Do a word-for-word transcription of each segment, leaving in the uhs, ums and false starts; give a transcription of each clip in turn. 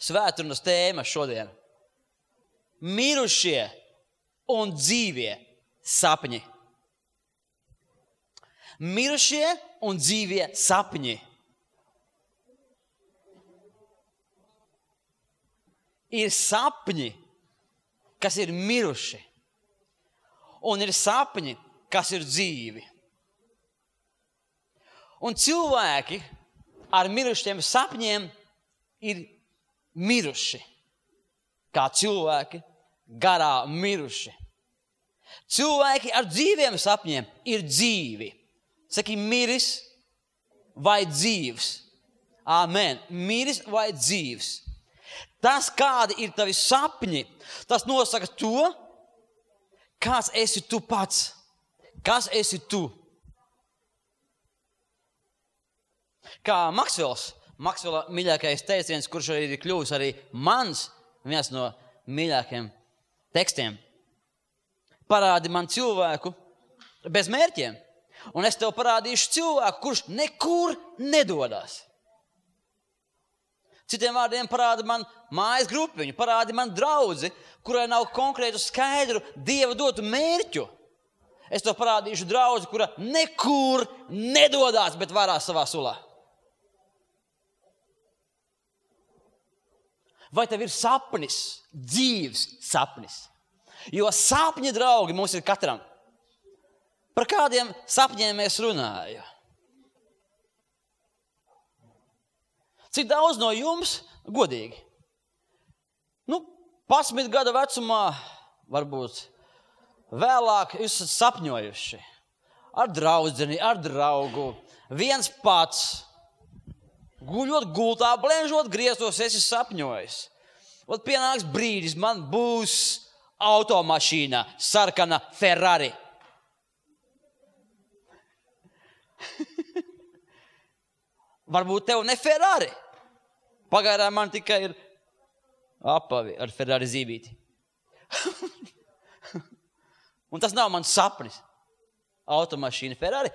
svētrunas tēma šodien. Mirušie un dzīvie sapņi. Mirušie un dzīvie sapņi. Ir sapņi, kas ir miruši, un ir sapņi, kas ir dzīvi. Un cilvēki ar mirušiem sapņiem ir miruši, kā cilvēki garā miruši. Cilvēki ar dzīviem sapņiem ir dzīvi. Saki, miris vai dzīvs. Āmen. Miris vai dzīvs. Tas, kādi ir tavi sapņi, tas nosaka to, kāds esi tu pats. Kas esi tu? Kā Maksvels, Maksvela mīļākais teiciens, kurš arī ir kļuvis arī mans, viens no mīļākajiem tekstiem. Parādi man cilvēku bez mērķiem, un es tev parādīšu cilvēku, kurš nekur nedodas. Citiem vārdiem parādi man mājas grupiņu, parādi man draudzi, kurai nav konkrētu skaidru Dieva dotu mērķu. Es tev parādīšu draudzi, kura nekur nedodas, bet varās savā sulā. Vai tev ir sapnis, dzīvs sapnis? Jo sapņi, draugi, mums ir katram. Par kādiem sapņiem mēs runājam? Cik daudz no jums, godīgi, nu, pasmit gada vecumā, varbūt vēlāk, jūs esat sapņojuši ar draudzeni, ar draugu, viens pats, guļot gultā, blenžot griestos, esi sapņojis. Ot pienāks brīdis, man būs automašīna, sarkana Ferrari. Varbūt tev ne Ferrari. Pagaidām man tikai ir apavi ar Ferrari zīmīti. Un tas nav mans sapnis. Automašīna Ferrari.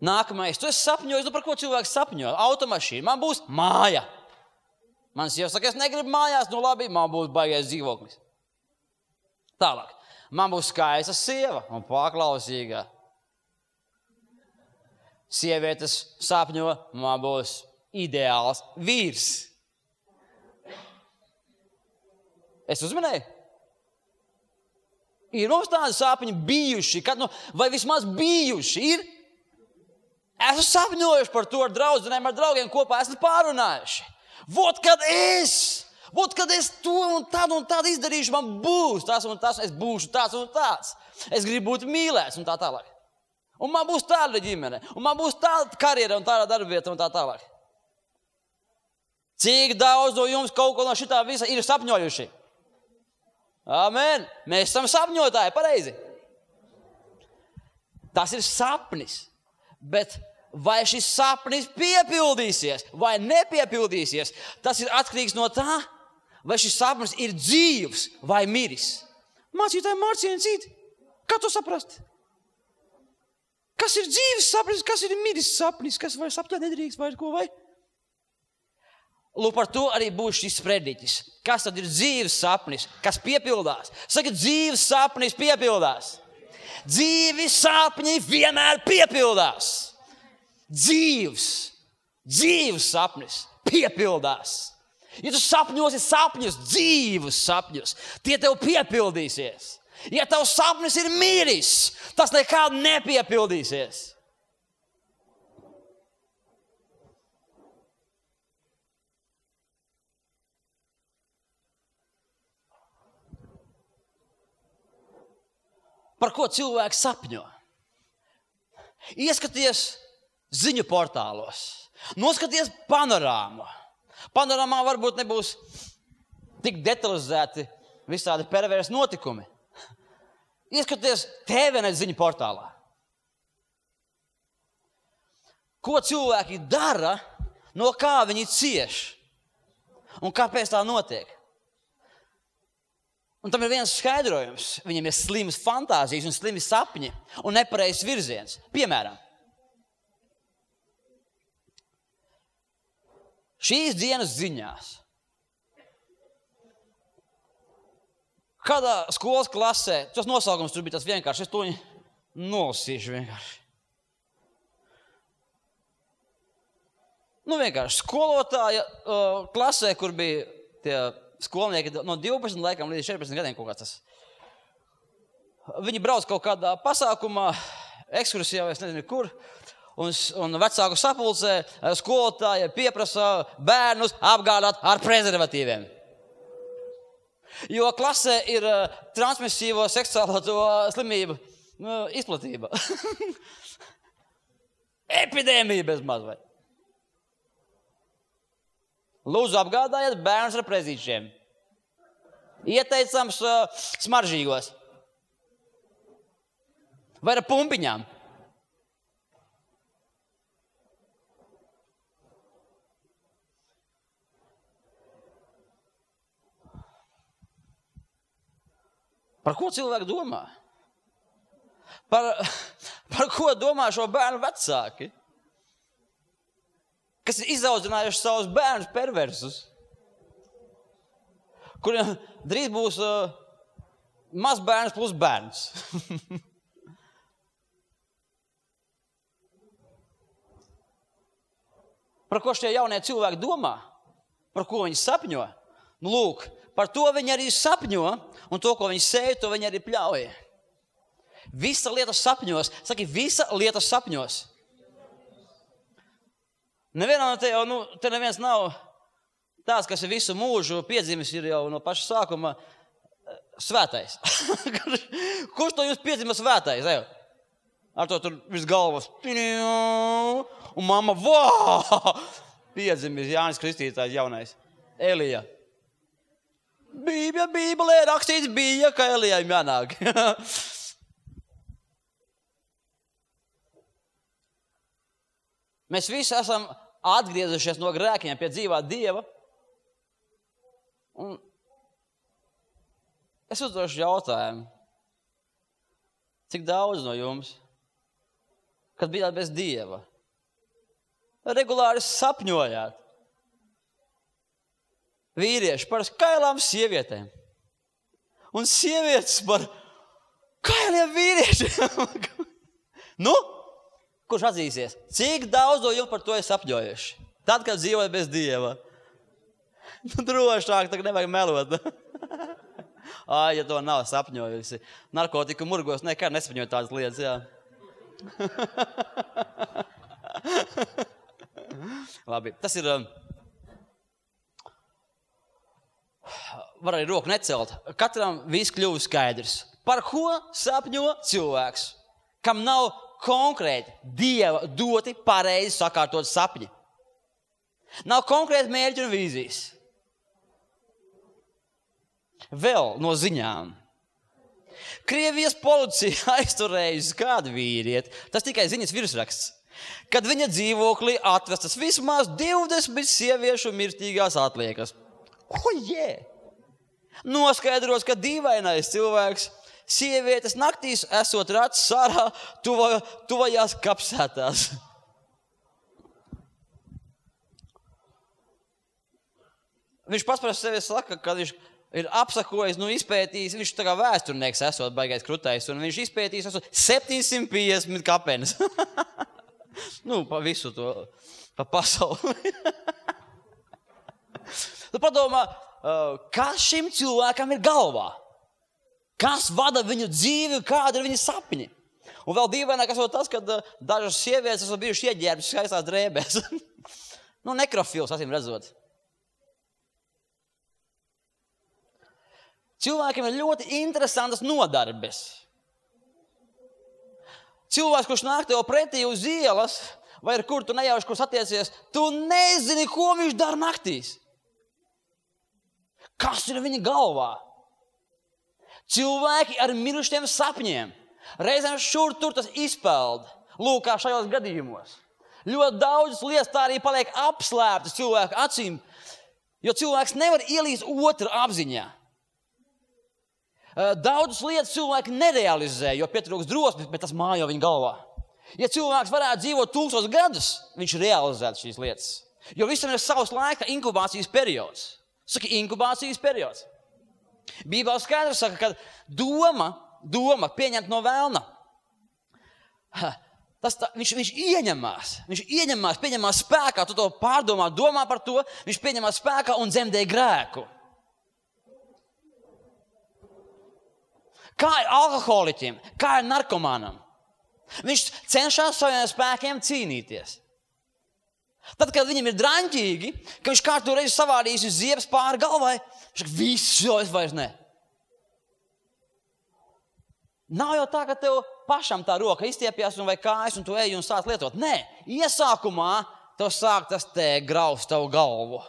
Nākamais. Tu esi sapņojis, nu par ko cilvēks sapņo? Automašīna. Man būs māja. Man sieva saka, es negribu mājās, nu labi, man būs baigais dzīvoklis. Tālāk. Man būs skaista sieva un paklausīga. Sievietes sapņo, man būs ideāls vīrs. Es uzminēju? Ir mums tādi sapņi bijuši, kad, nu, vai vismaz bijuši ir. Esmu sapņojuši par to ar draudzenēm, ar draugiem kopā, esmu pārunājuši. Vot, kad es, vot, kad es to un tādu un tādu izdarīšu, man būs tas un tas, es būšu tāds un tāds. Es gribu būt mīlēts un tā tālāk. Un man būs tāda ģimene, un man būs tāda karjera un tāda darbieta un tā tālāk. Cik daudz no jums kaut ko no šitā visa ir sapņojuši? Amen. Mēs esam sapņotāji, pareizi. Tas ir sapnis, bet vai šis sapnis piepildīsies vai nepiepildīsies, tas ir atkarīgs no tā, vai šis sapnis ir dzīvs vai miris. Mācītāji Mārciņi citi, kā to saprast? Kas ir dzīves sapnis, kas ir miris sapnis, kas vai sapņot nedrīkst, vai ko vai? Lūk, par to arī būs šis sprediķis. Kas tad ir dzīves sapnis, kas piepildās? Saka, dzīves sapnis piepildās. Dzīves sapņi vienmēr piepildās. Dzīves, dzīves sapnis piepildās. Ja tu sapņosi sapņus, dzīvus sapņus, tie tev piepildīsies. Ja tavs sapnis ir miris, tas nekad nepiepildīsies. Par ko cilvēks sapņo? Ieskaties ziņu portālos, noskaties panorāmu. Panorāmā varbūt nebūs tik detalizēti visādi perversi notikumi. Ieskaties T V Net ziņu portālā. Ko cilvēki dara, no kā viņi cieš un kāpēc tā notiek? Un tam ir viens skaidrojums. Viņiem ir slimas fantāzijas un slimi sapņi un nepareizs virziens. Piemēram, šīs dienas ziņās. Kādā skolas klasē, tas nosaukums tur bija tas vienkārši, es to nolasīšu vienkārši. Nu vienkārši, skolotāja uh, klasē, kur bija tie skolnieki no divpadsmit laikam līdz četrpadsmit gadiem kaut kāds tas. Viņi brauc kaut kādā pasākumā, ekskursijā, es nezinu kur, un, un vecāku sapulcē skolotāja pieprasa bērnus apgādāt ar prezervatīviem. Jo klasē ir uh, transmisīvo seksuālo to slimību uh, izplatība. Epidēmija bez maz vai. Lūdzu apgādājiet bērnus ar prezīšiem. Ieteicams uh, smaržīgos. Vai ar pumpiņām. Par ko cilvēki domā? Par, par ko domā šo bērnu vecāki? Kas ir izaudzinājuši savus bērnus perversus, kuriem drīz būs uh, maz bērns plus bērns. Par ko šie jaunie cilvēki domā? Par ko viņi sapņo? Nu, lūk, par to viņi arī sapņo, un to, ko viņi sēja, to viņi arī pļauja. Visa lieta sapņos. Saki, visa lieta sapņos. Nevienam te jau, nu, te neviens nav tāds, kas ir visu mūžu piedzimis, ir jau no paša sākuma svētais. Kurš to jūs piedzima svētais? Ejo? Ar to tur virs galvas. Un mamma, vā! Piedzimis Jānis Kristītājs jaunais. Elija. Bībja, bībelē rakstīts bija, ka Elijai jānāk. Mēs visi esam atgriezušies no grēkiem pie dzīvā Dieva. Un es uzdošu jautājumu. Cik daudz no jums, kad bijāt bez Dieva, regulāri sapņojāt vīrieši par kailām sievietēm un sievietes par kailiem vīriešiem? Nu? Kurš atzīsies? Cik daudz no jums par to ir sapņojuši? Tad, kad dzīvoja bez Dieva. Nu, drošāk, tā nevajag melot. Ai, ja to nav sapņojusi. Narkotiku murgos nekad nesapņoja tādas lietas, jā. Labi, tas ir... Var arī roku necelt. Katram viss kļuva skaidrs. Par ko sapņo cilvēks, kam nav konkrēti Dieva doti pareizi sakārtot sapņi. Nav konkrēti mērķi un vīzijas. Vēl no ziņām. Krievijas policija aizturējusi kādu vīrieti, tas tikai ziņas virsraksts, kad viņa dzīvoklī atvestas vismaz divdesmit sieviešu mirstīgās atliekas. O, jē! Noskaidros, ka dīvainais cilvēks sievietes naktīs esot rats sārā tuva, tuvajās kapsētās. Viņš pats par sevi saka, ka viņš ir apsakojis, nu izpētījis, viņš tā kā vēsturnieks esot baigais krutais, un viņš izpētījis esot septiņsimt piecdesmit kapenes. Nu, pa visu to, pa pasauli. Tu padomā, kas šim cilvēkam ir galvā? Kas vada viņu dzīvi, kāda ir viņa sapņi? Un vēl dīvaināk esot tas, kad dažas sievietes esot bijuši ieģērbis skaistās drēbēs. Nu, nekrofils, acīm redzot. Cilvēkiem ir ļoti interesantas nodarbes. Cilvēks, kurš nāk tev pretī uz ielas, vai ar kur tu nejauši, kur satiecies, tu nezini, ko viņš dara naktīs. Kas ir viņa galvā? Cilvēki ar mirušiem sapņiem. Reizēm šur tur tas izpeld. Lūk, kā šajos gadījumos. Ļoti daudzas lietas tā arī paliek apslēptas cilvēku acīm, jo cilvēks nevar ielīst otru apziņā. Daudzas lietas cilvēki nerealizē, jo pietrūks drosmes, bet tas mājo viņa galvā. Ja cilvēks varētu dzīvot tūkstošus gadus, viņš realizētu šīs lietas. Jo visam ir savs laika inkubācijas periods. Saka, inkubācijas periods. Bībelē skaidrs saka, ka doma, doma pieņemt no vēlna. Tas tā, viņš, viņš ieņemās, viņš ieņemās, pieņemās spēkā, tu to pārdomā, domā par to, viņš pieņemās spēkā un dzemdē grēku. Kā ir alkoholiķim, kā ir narkomānam? Viņš cenšas saviem spēkiem cīnīties. Tad, kad viņam ir draņķīgi, ka viņš kārtu reizi savādījis uz ziebes pāri galvai, viņš saka, viss, jo es vairs ne. Nav jau tā, ka tev pašam tā roka izstiepjās un vai kājas un tu eji un sāc lietot. Nē, iesākumā tev sāk tas te graust tavu galvu.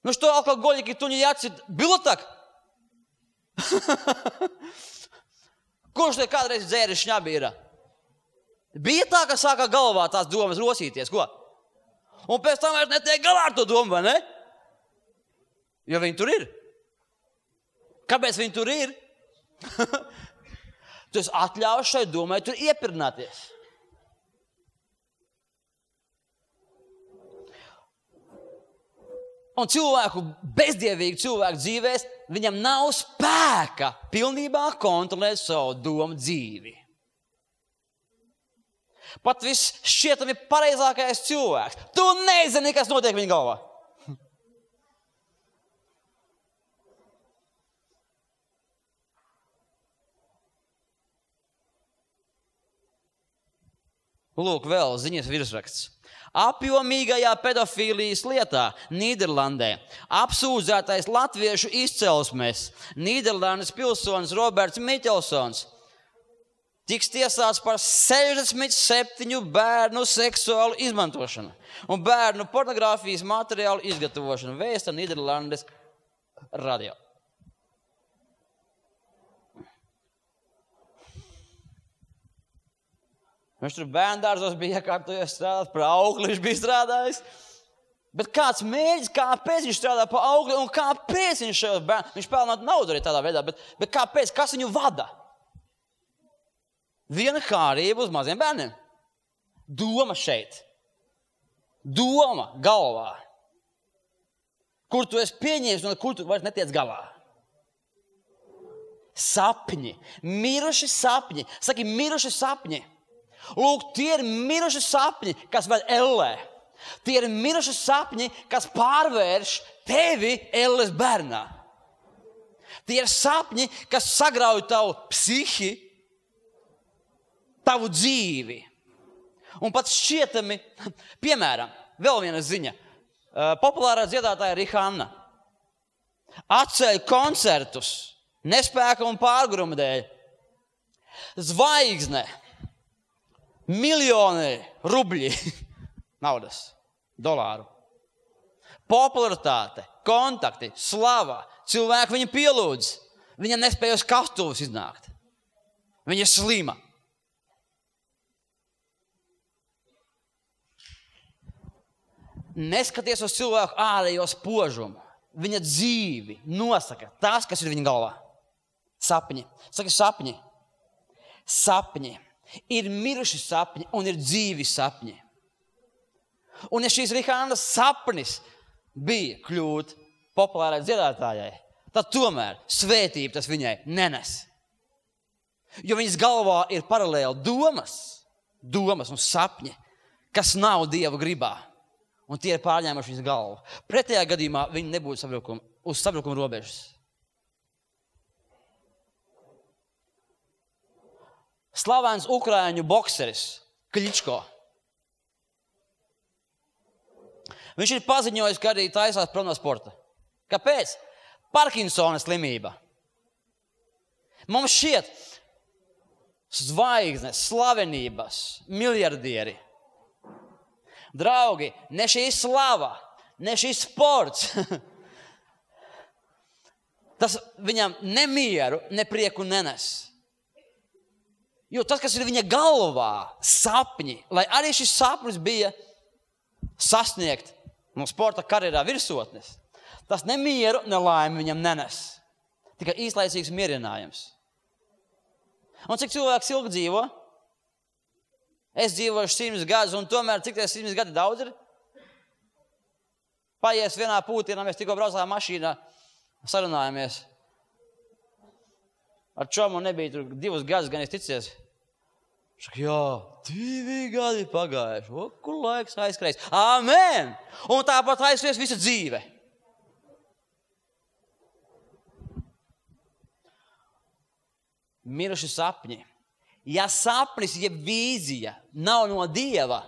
Nu što alkoholiķi tu jācīt, bilo tak? Kurš te kādreiz dzēris šņabīra? Bija tā, ka sākā galvā tās domas rosīties, ko? Un pēc tam vairs netiek galā ar to domu, vai ne? Jo viņi tur ir. Kāpēc viņi tur ir? Tu esi atļauts šai domai tur iepirnāties. Un cilvēku, bezdievīgu cilvēku dzīvēs, viņam nav spēka pilnībā kontrolēt savu domu dzīvi. Pat viss šķietami pareizākais cilvēks. Tu nezini, kas notiek viņa galvā. Lūk, vēl ziņas virsraksts. Apjomīgajā pedofīlijas lietā Nīderlandē apsūdzētais latviešu izcelsmes Nīderlandes pilsonis Roberts Miķelsons tiks tiesāts par sešdesmit septiņu bērnu seksuālu izmantošanu un bērnu pornogrāfijas materiālu izgatavošanu, vēsta Nīderlandes radio. Viņš tur bērndārzos bija iekārtojies strādāt, par augli viņš bija strādājis. Bet kāds mēģis, kāpēc viņš strādā par augli un kāpēc viņš šajos bērnu, viņš pelnāt naudu arī tādā veidā, bet, bet kāpēc, kas viņu vada? Viena kārība uz maziem bērniem. Doma šeit. Doma galvā. Kur tu esi pieņēmis un kur tu vairs netiec galā. Sapņi. Miruši sapņi. Saki, miruši sapņi. Lūk, tie ir miruši sapņi, kas ved ellē. Tie ir miruši sapņi, kas pārvērš tevi elles bērnā. Tie ir sapņi, kas sagrauj tavu psihi, tavu dzīvi. Un pat šķietami, piemēram, vēl viena ziņa. Populārā dziedātāja Rihanna atceļ koncertus nespēka un pārguruma dēļ. Zvaigzne, miljoni rubļi, naudas, dolāru. Popularitāte, kontakti, slava, cilvēki viņu pielūdz. Viņa nespēja uz kastuvus iznākt. Viņa ir slima. Neskaties uz cilvēku ārējo spožumu. Viņa dzīvi nosaka tas, kas ir viņa galvā. Sapņi. Saka, sapņi. Sapņi. Ir miruši sapņi un ir dzīvi sapņi. Un ja šīs Rihannas sapnis bija kļūt populārai dziedātājai, tad tomēr svētība tas viņai nenes. Jo viņas galvā ir paralēli domas, domas un sapņi, kas nav Dieva gribā. Un tie ir pārņēmuši viņas galvu. Pretējā gadījumā viņi nebūtu sabrukuma, uz sabrukuma robežas. Slavens ukraiņu bokseris Kličko. Viņš ir paziņojis, ka arī taisās prom no sporta. Kāpēc? Parkinsona slimība. Mums šķiet zvaigznes, slavenības, miljardieri. Draugi, ne šī slava, ne šī sports. Tas viņam nemieru, ne prieku nenes. Jo tas, kas ir viņa galvā, sapņi, lai arī šis sapnis bija sasniegt no sporta karjerā virsotnes, tas nemieru, ne laimi viņam nenes. Tikai īslaicīgs mierinājums. Un cik cilvēks ilgi dzīvo? Es dzīvoju simts gadus, un tomēr cik tie simts gadi daudz ir? Paies vienā pūtienā, mēs tikko braucām mašīnā, sarunājamies. Ar čomu nebija tur divus gadus, gan es ticies. Šaka, jā, divi gadi pagājuši. O, kur laiks aizskries? Āmen! Un tāpat aizskries visa dzīve. Miruši sapņi. Ja sapnis, ja vīzija nav no Dieva,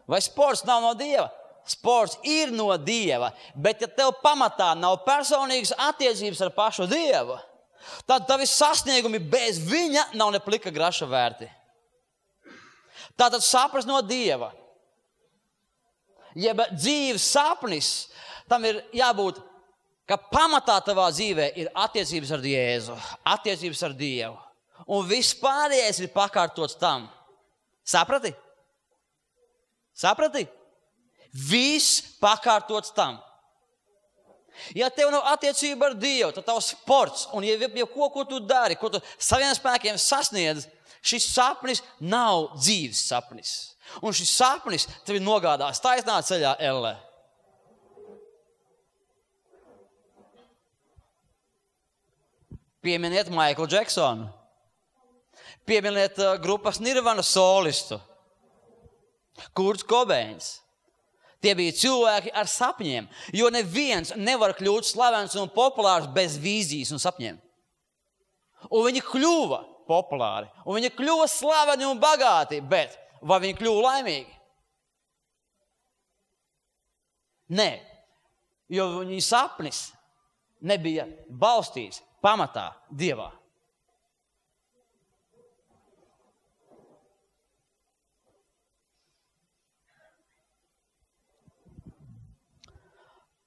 vai sports nav no Dieva, sports ir no Dieva, bet ja tev pamatā nav personīgas attiecības ar pašu Dievu, tad tavi sasniegumi bez viņa nav ne plika graša vērti. Tātad sapnis no Dieva. Jeb dzīves sapnis, tam ir jābūt, ka pamatā tavā dzīvē ir attiecības ar Jēzu, attiecības ar Dievu. Un viss pārējais ir pakārtots tam. Saprati? Saprati? Viss pakārtots tam. Ja tev nav attiecība ar Dievu, tad tavs sports un ja, ja ko, ko tu dari, ko tu saviem spēkiem sasniedz, šis sapnis nav dzīves sapnis. Un šis sapnis tevi nogādās taisnā ceļā ellē. Pieminiet Maiklu Džeksonu. Pieminiet uh, grupas Nirvana solistu. Kurts Kobeins. Tie bija cilvēki ar sapņiem, jo neviens nevar kļūt slavens un populārs bez vīzijas un sapņiem. Un viņi kļuva populāri, un viņi kļuva slaveni un bagāti, bet vai viņi kļuva laimīgi? Nē, jo viņi sapnis nebija balstīts pamatā Dievā.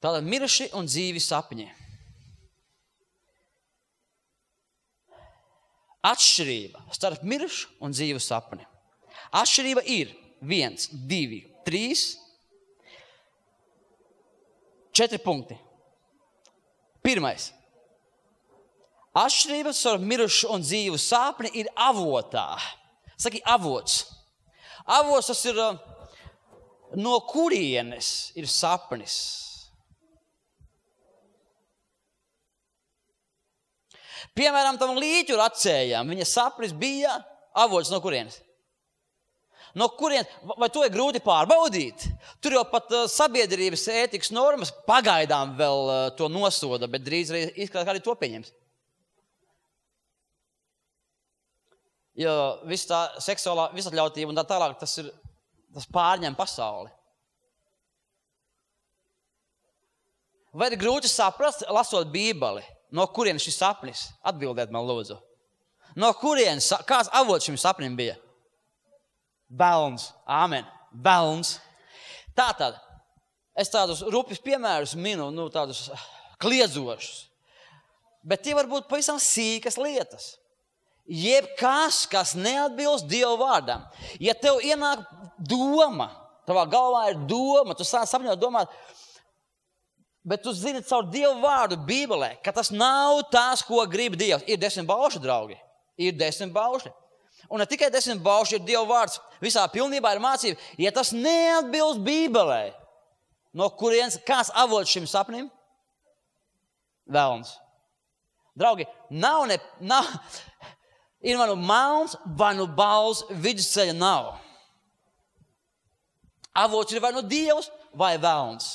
Tātad miruši un dzīvi sapņi. Atšķirība starp mirušu un dzīvu sapni. Atšķirība ir viens, divi, trīs, četri punkti. Pirmais. Atšķirība starp mirušu un dzīvu sapni ir avotā. Saki, avots. Avots tas ir no kurienes ir sapnis. Piemēram, tam līķu racējām, viņa sapnis bija avots no kurienes? No kurienes? Vai to ir grūti pārbaudīt? Tur jau pat uh, sabiedrības ētikas normas pagaidām vēl uh, to nosoda, bet drīz arī izskatās, kā arī to pieņems. Jo viss tā seksuālā visatļautība un tā tālāk, tas, ir, tas pārņem pasauli. Vai ir grūti saprast, lasot Bībeli? No kurienes šis sapnis? Atbildiet man, lūdzu. No kurienes, kāds avots šim sapnim bija? Velns. Āmen. Velns. Tātad, es tādus rupjus piemērus minu, nu tādus kliedzošus. Bet tie var būt pavisam sīkas lietas. Jebkas, kas neatbilst Dieva vārdam. Ja tev ienāk doma, tavā galvā ir doma, tu sāc sapņot domāt, bet tu zini caur Dievu vārdu Bībelē, ka tas nav tās, ko grib Dievs. Ir desmit baušļi, draugi. Ir desmit baušļi. Un ne tikai desmit baušļi, ir Dievu vārds. Visā pilnībā ir mācība. Ja tas neatbilst Bībelē, no kurienes kāds avots šim sapnim? Velns. Draugi, nav ne... Nav, ir vai nu melns, vai nu bals, vidusceļa nav. Avots ir vai nu Dievs, vai velns.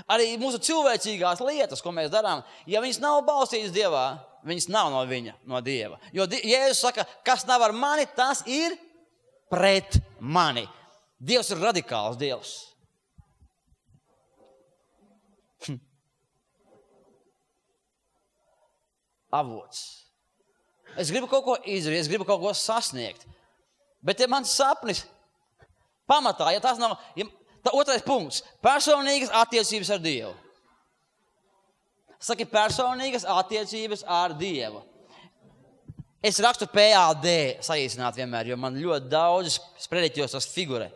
Arī mūsu cilvēcīgās lietas, ko mēs darām, ja viņas nav balstītas Dievā, viņas nav no viņa, no Dieva. Jo Jēzus saka, kas nav ar mani, tas ir pret mani. Dievs ir radikāls Dievs. Hm. Avots. Es gribu kaut ko izdarīt, es gribu kaut ko sasniegt. Bet ja mans sapnis pamatā, ja tas nav... Ja, tā otrais punkts. Personīgas attiecības ar Dievu. Saki, personīgas attiecības ar Dievu. Es rakstu P A D saīsināt vienmēr, jo man ļoti daudz sprediķos tas figurē.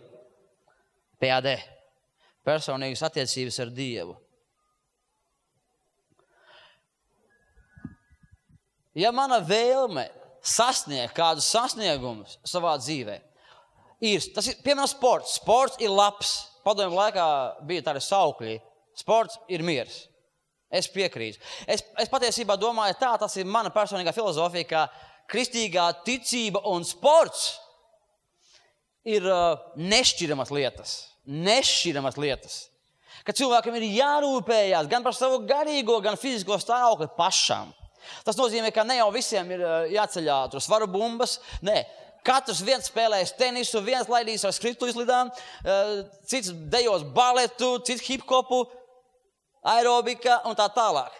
P A D. Personīgas attiecības ar Dievu. Ja mana vēlme sasniegt kādus sasniegumus savā dzīvē, Ir, tas ir, piemēram, sports. Sports ir labs. Padomju laikā bija tādi saukļi. Sports ir miers. Es piekrītu. Es, es patiesībā domāju tā, tas ir mana personīgā filozofija, ka kristīgā ticība un sports ir uh, nešķiramas lietas. Nešķiramas lietas. Ka cilvēkam ir jārūpējās gan par savu garīgo, gan fizisko stāvokli pašam. Tas nozīmē, ka ne jau visiem ir jāceļā tur svaru bumbas. Nē, katrs viens spēlēs tenisu, viens laidīs ar skritu izlidām, cits dejos baletu, cits hip-hopu, aerobika un tā tālāk.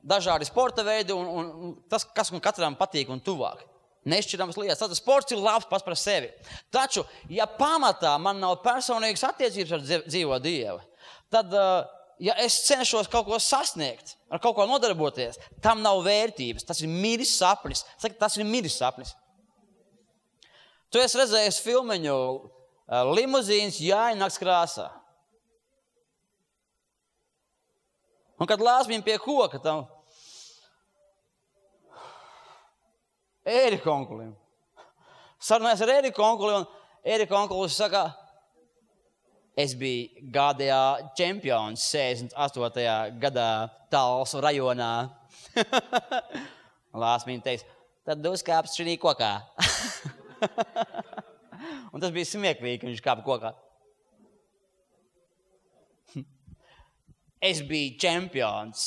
Dažādi sporta veidi un, un tas, kas katram patīk un tuvāk. Nešķirams lietas. Tātad sports ir labs pats par sevi. Taču, ja pamatā man nav personīgas attiecības ar dzīvo Dievu, tad, ja es cenšos kaut ko sasniegt, ar kaut ko nodarboties, tam nav vērtības. Tas ir miris sapnis. Saka, tas ir miris sapnis. Tu esi redzējis filmiņu Limuzīns Jāņa nakts krāsā. Un kad lāsmiņ pie koka tam Ērika onkulim. Sarunājas ar Ērika onkuli, un Ērika onkulis saka, es biju G D A čempions sešdesmit astotajā gadā Talsu rajonā. Lāsmiņ teiks, tad uzkāps šī kokā. Un tas bija smieklīgi, ka viņš kāpa kokā. Es biju čempions.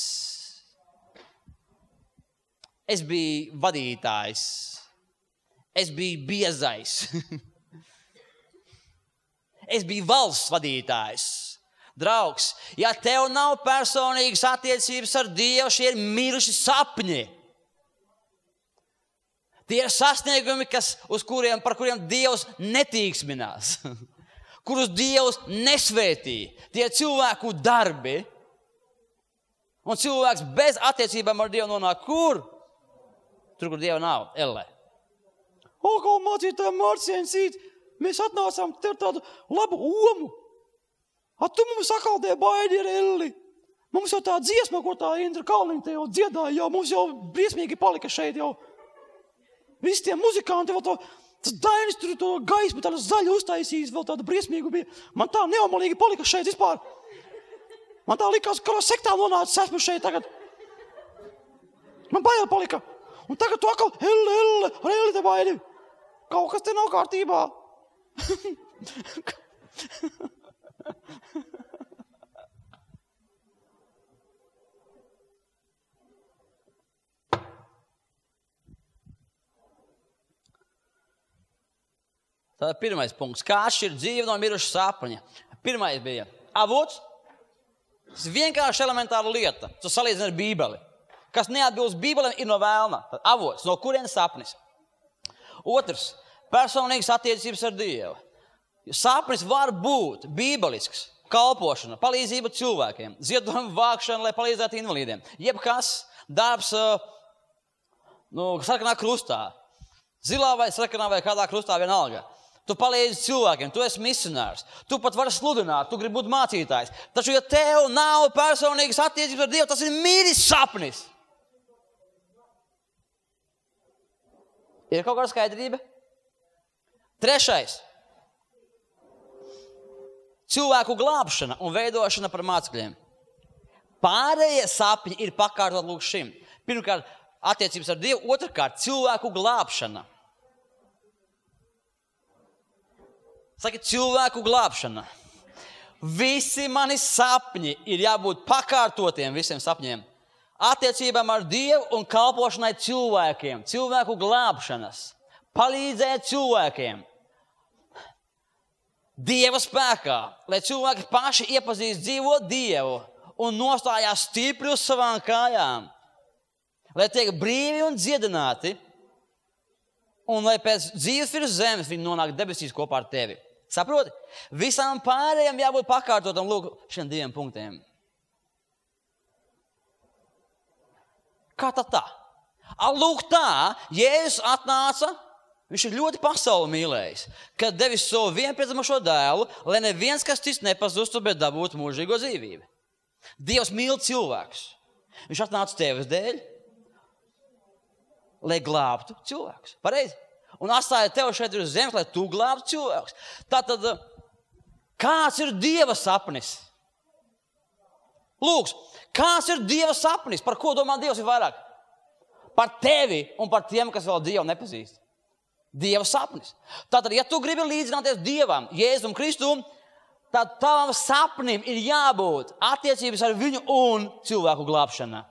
Es biju vadītājs. Es biju biezais. Es biju valsts vadītājs. Draugs, ja tev nav personīgas attiecības ar Dievu, šie ir miruši sapņi. Tie ir sasniegumi, kas, uz kuriem, par kuriem Dievs netīksminās. Kurus Dievs nesvētī. Tie ir cilvēku darbi. Un cilvēks bez attiecībām ar Dievu nonāk kur? Tur, kur Dieva nav, ellē. O, kā mācītājiem Mārciņsīt, mēs atnācām tev tādu labu omu. A tu mums sakaldē baidi ar elli. Mums jau tā dziesma, ko tā Indra Kalniņa te jau dziedāja, jau mums jau briesmīgi palika šeit jau. Visi tie muzikanti vēl to, tas Dainis tur to gaismu tādu zaļu uztaisījis, vēl tādu briesmīgu bija. Man tā neomalīgi palika šeit vispār. Man tā likās, ka sektā nonācis esmu šeit tagad. Man bail palika. Un tagad tu atkal, elle, elle, ar elle te baidi. Kaut kas te nav kārtībā. Tātad pirmais punkts. Kā atšķirt dzīvi no miruša sapņa? Pirmais bija avots. Tas ir vienkārši elementāra lieta. Tu salīdzini ar Bībeli. Kas neatbilst Bībelēm, ir no vēlna. Tad avots, no kurienes sapnis. Otrs, personīgas attiecības ar Dievu. Sapnis var būt bībelisks, kalpošana, palīdzība cilvēkiem, ziedojumu vākšana, lai palīdzētu invalīdiem. Jebkas, darbs, nu, sarkanā krustā, zilā vai sarkanā vai kādā krustā vienalga. Tu palīdzi cilvēkiem, tu esi misionārs, tu pat vari sludināt, tu gribi būt mācītājs. Taču, ja tev nav personīgas attiecības ar Dievu, tas ir miris sapnis. Ir kaut kāda skaidrība? Trešais. Cilvēku glābšana un veidošana par mācekļiem. Pārējie sapņi ir pakārtot lūk šim. Pirmkārt, attiecības ar Dievu, otrkārt, cilvēku glābšana. Saki, cilvēku glābšana. Visi mani sapņi ir jābūt pakārtotiem visiem sapņiem. Attiecībām ar Dievu un kalpošanai cilvēkiem. Cilvēku glābšanas. Palīdzēt cilvēkiem. Dieva spēkā, lai cilvēki paši iepazīst dzīvo Dievu un nostājās stipri uz savām kājām. Lai tiek brīvi un dziedināti un lai pēc dzīves virs zemes viņi nonāk debesīs kopā ar tevi. Saproti? Visām pārējām jābūt pakārtotam lūk šiem diviem punktiem. Kā tad tā? Lūk tā, Jēzus atnāca, viņš ir ļoti pasauli mīlējis, kad devis savu vienpiedzimušo dēlu, lai neviens, kas cits nepazustu, bet dabūtu mūžīgo dzīvību. Dievs mīl cilvēkus. Viņš atnāca tevis dēļ, lai glābtu cilvēkus. Pareizi? un atstāja tev šeit uz zemes, lai tu glābtu cilvēkus. Tātad, kāds ir Dieva sapnis? Lūks, kāds ir Dieva sapnis? Par ko domā Dievs ir vairāk? Par tevi un par tiem, kas vēl Dievu nepazīst. Dieva sapnis. Tātad, ja tu gribi līdzināties Dievam, Jēzum Kristum, tad tavam sapnim ir jābūt attiecības ar viņu un cilvēku glābšana.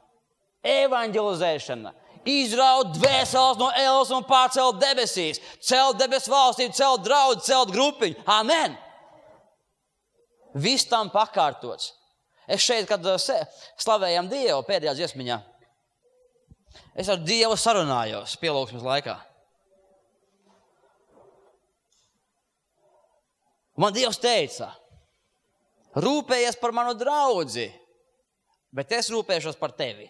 Evanģelizēšana. Izraut dvēseles no ēles un pārcelt debesīs. Celt debesu valstību, celt draudu, celt grupiņu. Amen. Viss tam pakārtots. Es šeit, kad slavējam Dievu pēdējā dziesmiņā, es ar Dievu sarunājos pielūgsmes laikā. Man Dievs teica, rūpējies par manu draudzi, bet es rūpēšos par tevi.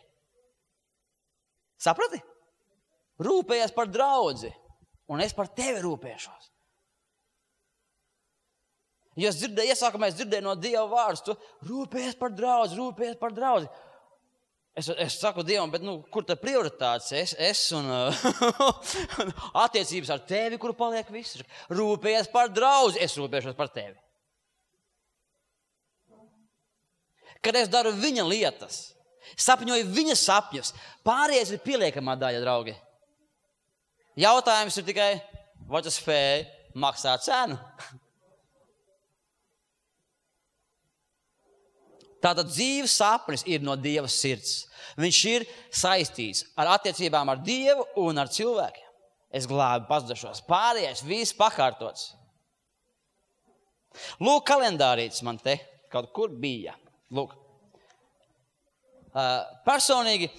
Saprati? Rūpējies par draudzi, un es par tevi rūpēšos. Jo es dzirdēju, iesākumā es dzirdēju no Dieva vārdus, tu rūpējies par draudzi, rūpējies par draudzi. Es, es saku Dievam, bet nu, kur tā prioritātes? Es, es un attiecības ar tevi, kur paliek viss. Rūpējies par draudzi, es rūpēšos par tevi. Kad es daru viņa lietas, sapņoju viņa sapņus, pārējais ir pieliekamā daļa, draugi. Jautājums ir tikai, vai tu spēj maksāt cenu? Tātad dzīves sapnis ir no Dieva sirds. Viņš ir saistīts ar attiecībām ar Dievu un ar cilvēkiem. Es glābi pazudušos. Pārējais viss pakārtots. Lūk, kalendārītis man te kaut kur bija. Lūk. Uh, personīgi,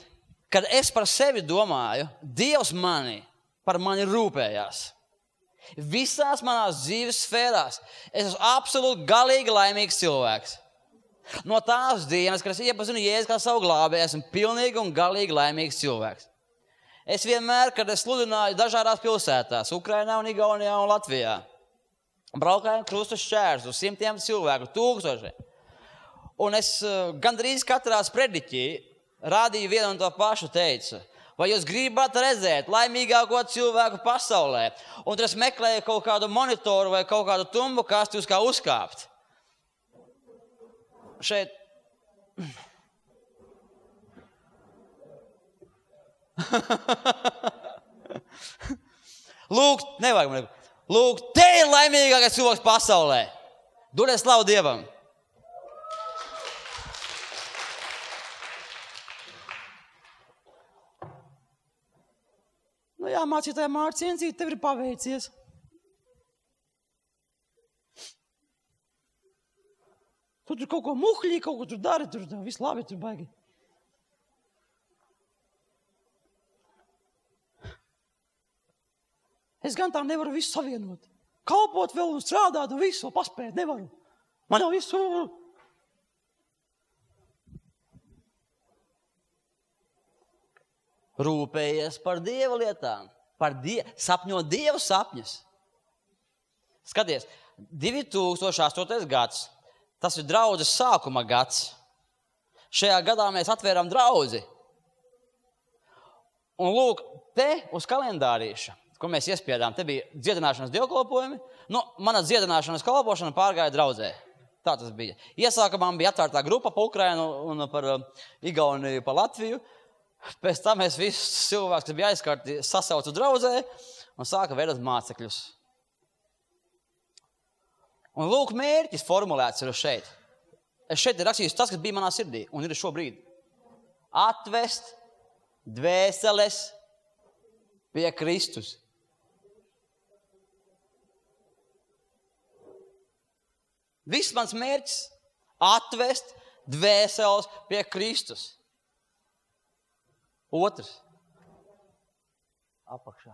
kad es par sevi domāju, Dievs mani, par mani rūpējās. Visās manās dzīves sfērās es esmu absolūti galīgi laimīgs cilvēks. No tās dienas, kad es iepazinu Jēzu kā savu glābēju, esmu pilnīgi un galīgi laimīgs cilvēks. Es vienmēr, kad es sludināju dažādās pilsētās, Ukrainā un Igaunijā un Latvijā, braukāju krustu šķērsus, simtiem cilvēku, tūkstošiem. Un es gandrīz katrā sprediķī rādīju vienu un to pašu teicu. Vai jūs gribat redzēt laimīgāko cilvēku pasaulē? Un tad es meklēju kaut kādu monitoru vai kaut kādu tumbu kasti, uz kā uzkāpt. Šeit. Lūk, nevajag man. Lūk, te ir laimīgākais cilvēks pasaulē. Dodiet slavu Dievam. Nu jā, mācītāja Mārta Ciencīte, tev ir paveicies. Tu tur kaut ko muhļī, kaut ko tur dari, tur viss labi, tur baigi. Es gan tā nevaru visu savienot. Kalpot vēl un strādāt un visu, paspēt nevaru. Man jau visu... Rūpējies par Dieva lietām, par die... sapņo Dieva sapņus. Skaties, divi tūkstoši astotais gads, tas ir draudzes sākuma gads. Šajā gadā mēs atvērām draudzi. Un lūk, te uz kalendārīša, ko mēs iespiedām, te bija dziedināšanas dievkalpojumi. Nu, mana dziedināšanas kalpošana pārgāja draudzē. Tā tas bija. Iesākumā bija atvērtā grupa pa Ukrainu un par Igauniju, pa Latviju. Pēc tam mēs visus cilvēkus, kas bija aizkārti, sasaucu draudzē un sāka veidot mācekļus. Un lūk, mērķis formulēts ir šeit. Es šeit ir rakstījis tas, kas bija manā sirdī un ir šobrīd. Atvest dvēseles pie Kristus. Viss mans mērķis atvest dvēseles pie Kristus. Otrs. Apakšā.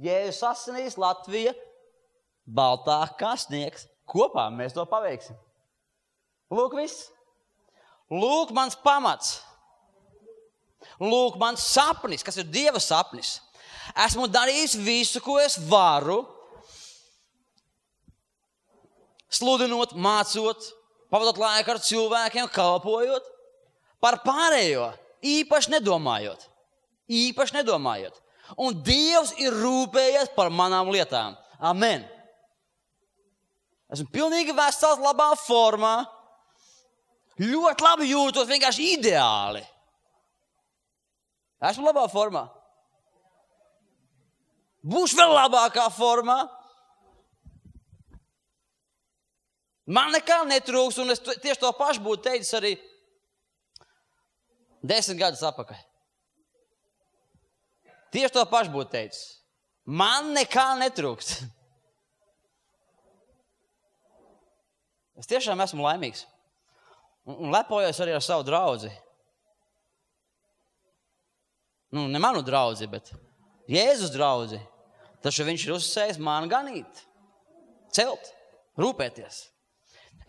Jēzus asinīs, Latvija, baltā kā sniegs. Kopā mēs to paveiksim. Lūk viss. Lūk mans pamats. Lūk mans sapnis, kas ir Dieva sapnis. Esmu darījis visu, ko es varu. Sludinot, mācot, pavadot laiku ar cilvēkiem, kalpojot. Par pārējo īpaši nedomājot. Īpaši nedomājot. Un Dievs ir rūpējies par manām lietām. Amen. Esmu pilnīgi vesels, labā formā. Ļoti labi jūtos, vienkārši ideāli. Esmu labā formā. Būšu vēl labākā formā. Man nekā netrūks, un es tieši to pašu būtu teicis arī desmit gadus atpakaļ. Tieši to pašu būtu teicis. Man nekā netrūks. Es tiešām esmu laimīgs. Un lepojos arī ar savu draudzi. Nu, ne manu draudzi, bet Jēzus draudzi. Taču viņš ir uzsējis man ganīt, celt, rūpēties.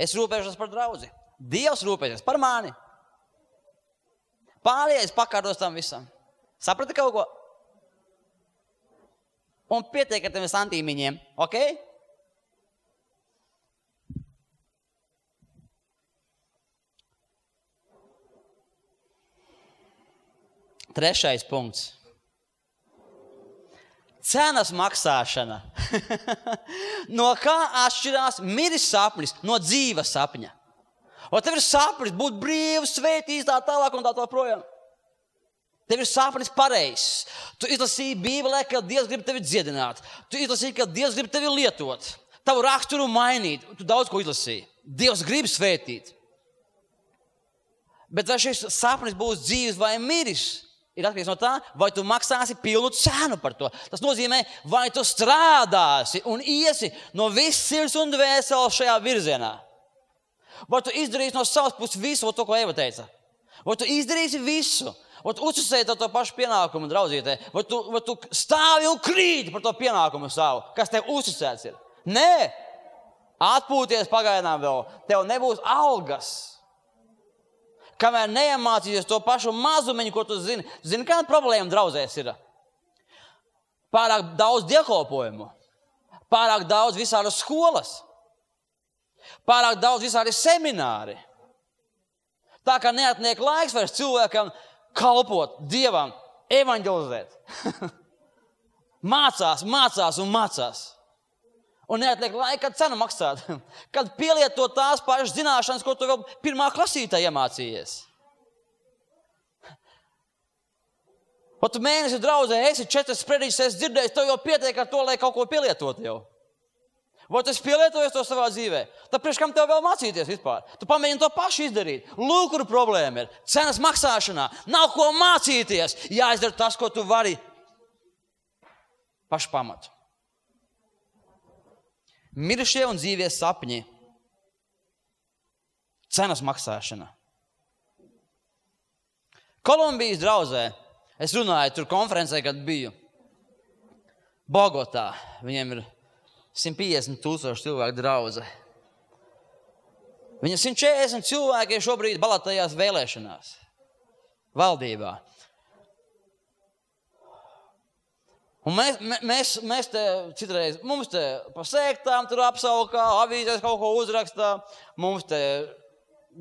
Es rūpēšos par draudzi. Dievs rūpēsies par mani. Pārējais pakārtos tam visam. Saprati kaut ko? Un pietiek ar tiem santīmiņiem, ok? Trešais punkts. Cenas maksāšana. No kā atšķirās miris sapnis no dzīves sapņa? O tev ir sapnis būt brīvs, svētīts, tā tālāk un tā tā projām. Tev ir sapnis pareizs. Tu izlasīji Bībelē, ka Dievs grib tevi dziedināt. Tu izlasīji, ka Dievs grib tevi lietot. Tavu raksturu mainīt. Tu daudz ko izlasīji. Dievs grib svētīt. Bet vai šis sapnis būs dzīves vai miris? Ir atkarīgs no tā, vai tu maksāsi pilnu cenu par to. Tas nozīmē, vai tu strādāsi un iesi no viss sirds un dvēseles šajā virzienā. Vai tu izdarīsi no savas puses visu, to, ko Eva teica. Vai tu izdarīsi visu. Vai tu uzticēji to pašu pienākumu draudzītē. Vai tu, vai tu stāvi un krīti par to pienākumu savu, kas tev uzticēts ir. Nē, atpūties pagaidām vēl. Tev nebūs algas. Kamēr neiemācīsies to pašu mazumiņu, ko tu zini. Zini, kāda problēma draudzēs ir? Pārāk daudz dievkalpojumu. Pārāk daudz visādas skolas. Pārāk daudz visādi semināri. Tā kā neatliek laiks vairs cilvēkam kalpot Dievam, evanģelizēt. Mācās, mācās un mācās. Un neatliek laika, kad cenu maksāt. Kad pielietot tās pašas zināšanas, ko tu vēl pirmā klasītā iemācījies. Pat tu mēnesi draudzē, esi četras sprediķis, esi dzirdējis, tev jau pietiek ar to, lai kaut ko pielietot jau. Vai tu esi pielietojies to savā dzīvē? Tad priekš kam tev vēl mācīties vispār? Tu pamēģini to pašu izdarīt. Lūk, kur problēma ir. Cenas maksāšanā. Nav ko mācīties. Jāizdara tas, ko tu vari. Pašu pamatu. Mirušie un dzīvie sapņi. Cenas maksāšana. Kolumbijas draudzē. Es runāju tur konferencē, kad biju. Bogotā. Viņiem ir simt piecdesmit tūkstoši cilvēku draudze. Viņam simt četrdesmit cilvēki šobrīd balotējās vēlēšanās. Valdībā. Un mēs, mēs, mēs te citreiz, mums te pa sēktām tur apsaukā, avīzēs kaut ko uzrakstā, mums te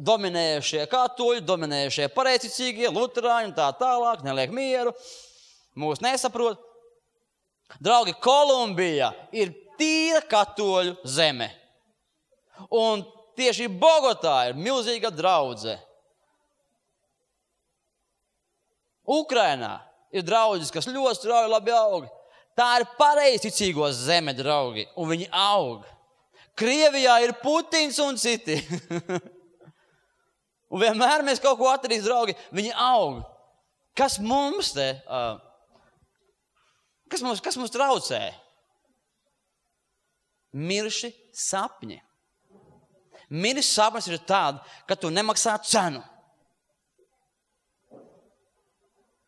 dominējušie katoļi, dominējušie pareizticīgie, luterāņi un tā tālāk, neliek mieru, mūs nesaprot. Draugi, Kolumbija ir tīra katoļu zeme. Un tieši Bogotā ir milzīga draudze. Ukrainā ir draudzes, kas ļoti strauji labi aug. Tā ir pareizticīgo zeme, draugi, un viņi aug. Krievijā ir Putins un citi. Un vienmēr mēs kaut ko atradīs, draugi, viņi aug. Kas mums te, uh, kas mums, kas mums traucē? Mirši sapņi. Miris sapnis ir tāda, ka tu nemaksā cenu.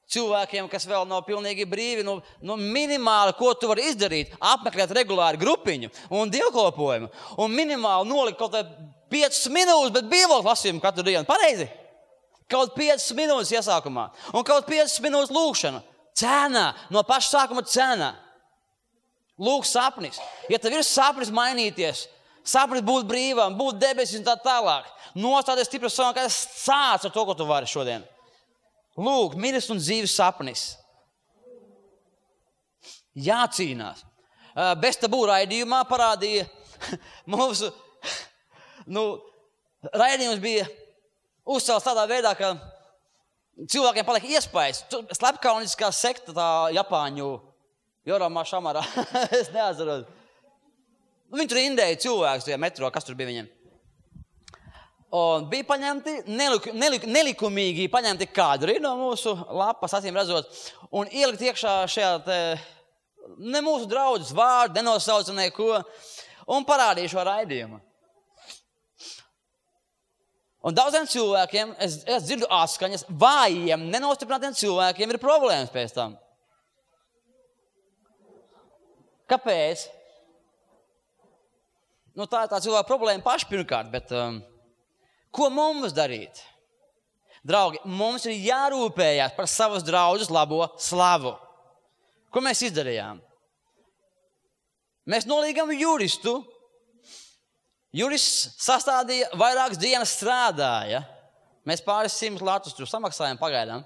Cilvēkiem, kas vēl nav pilnīgi brīvi, nu, nu minimāli, ko tu vari izdarīt, apmeklēt regulāri grupiņu un dievkalpojumu, un minimāli nolikt kaut piecas minūtes, bet bībeles lasījumu katru dienu. Pareizi? Kaut piecas minūtes iesākumā, un kaut piecas minūtes lūkšana. Cena, no paša sākuma cena. Lūk sapnis. Ja tev ir sapnis mainīties, sapnis būt brīvam, būt debesis un tā tālāk, nostāties stipri savā, kā sāc ar to, ko tu vari šodien. Lūk, miris un dzīves sapnis. jācīnās. Bez tabū raidījumā parādīja mūsu, nu, raidījums bija uzcelts tādā veidā, ka cilvēkiem paliek iespējas. Slepkauniskā sekta tā Japāņu, Joramā Šamarā, es neatceros. Viņi tur indēja cilvēkus tajā metro, kas tur bija viņiem. Un bija paņemti, nelik, nelik, nelikumīgi paņemti kadri no mūsu lapas, acīm redzot, un ielikt iekšā šajā te, ne mūsu draudzes vārdu, nenosauca neko, un parādīja šo raidījumu. Un daudziem cilvēkiem, es, es dzirdu atskaņas, vājiem, nenostiprinātiem cilvēkiem ir problēmas pēc tam. Kāpēc? Nu, tā ir tā cilvēka problēma paši pirmkārt, bet um, ko mums darīt? Draugi, mums ir jārūpējās par savas draudzes labo slavu. Ko mēs izdarījām? Mēs nolīgām juristu. Jurists sastādīja vairākas dienas strādāja. Mēs pāris simtus latus tur samaksājām pagaidām.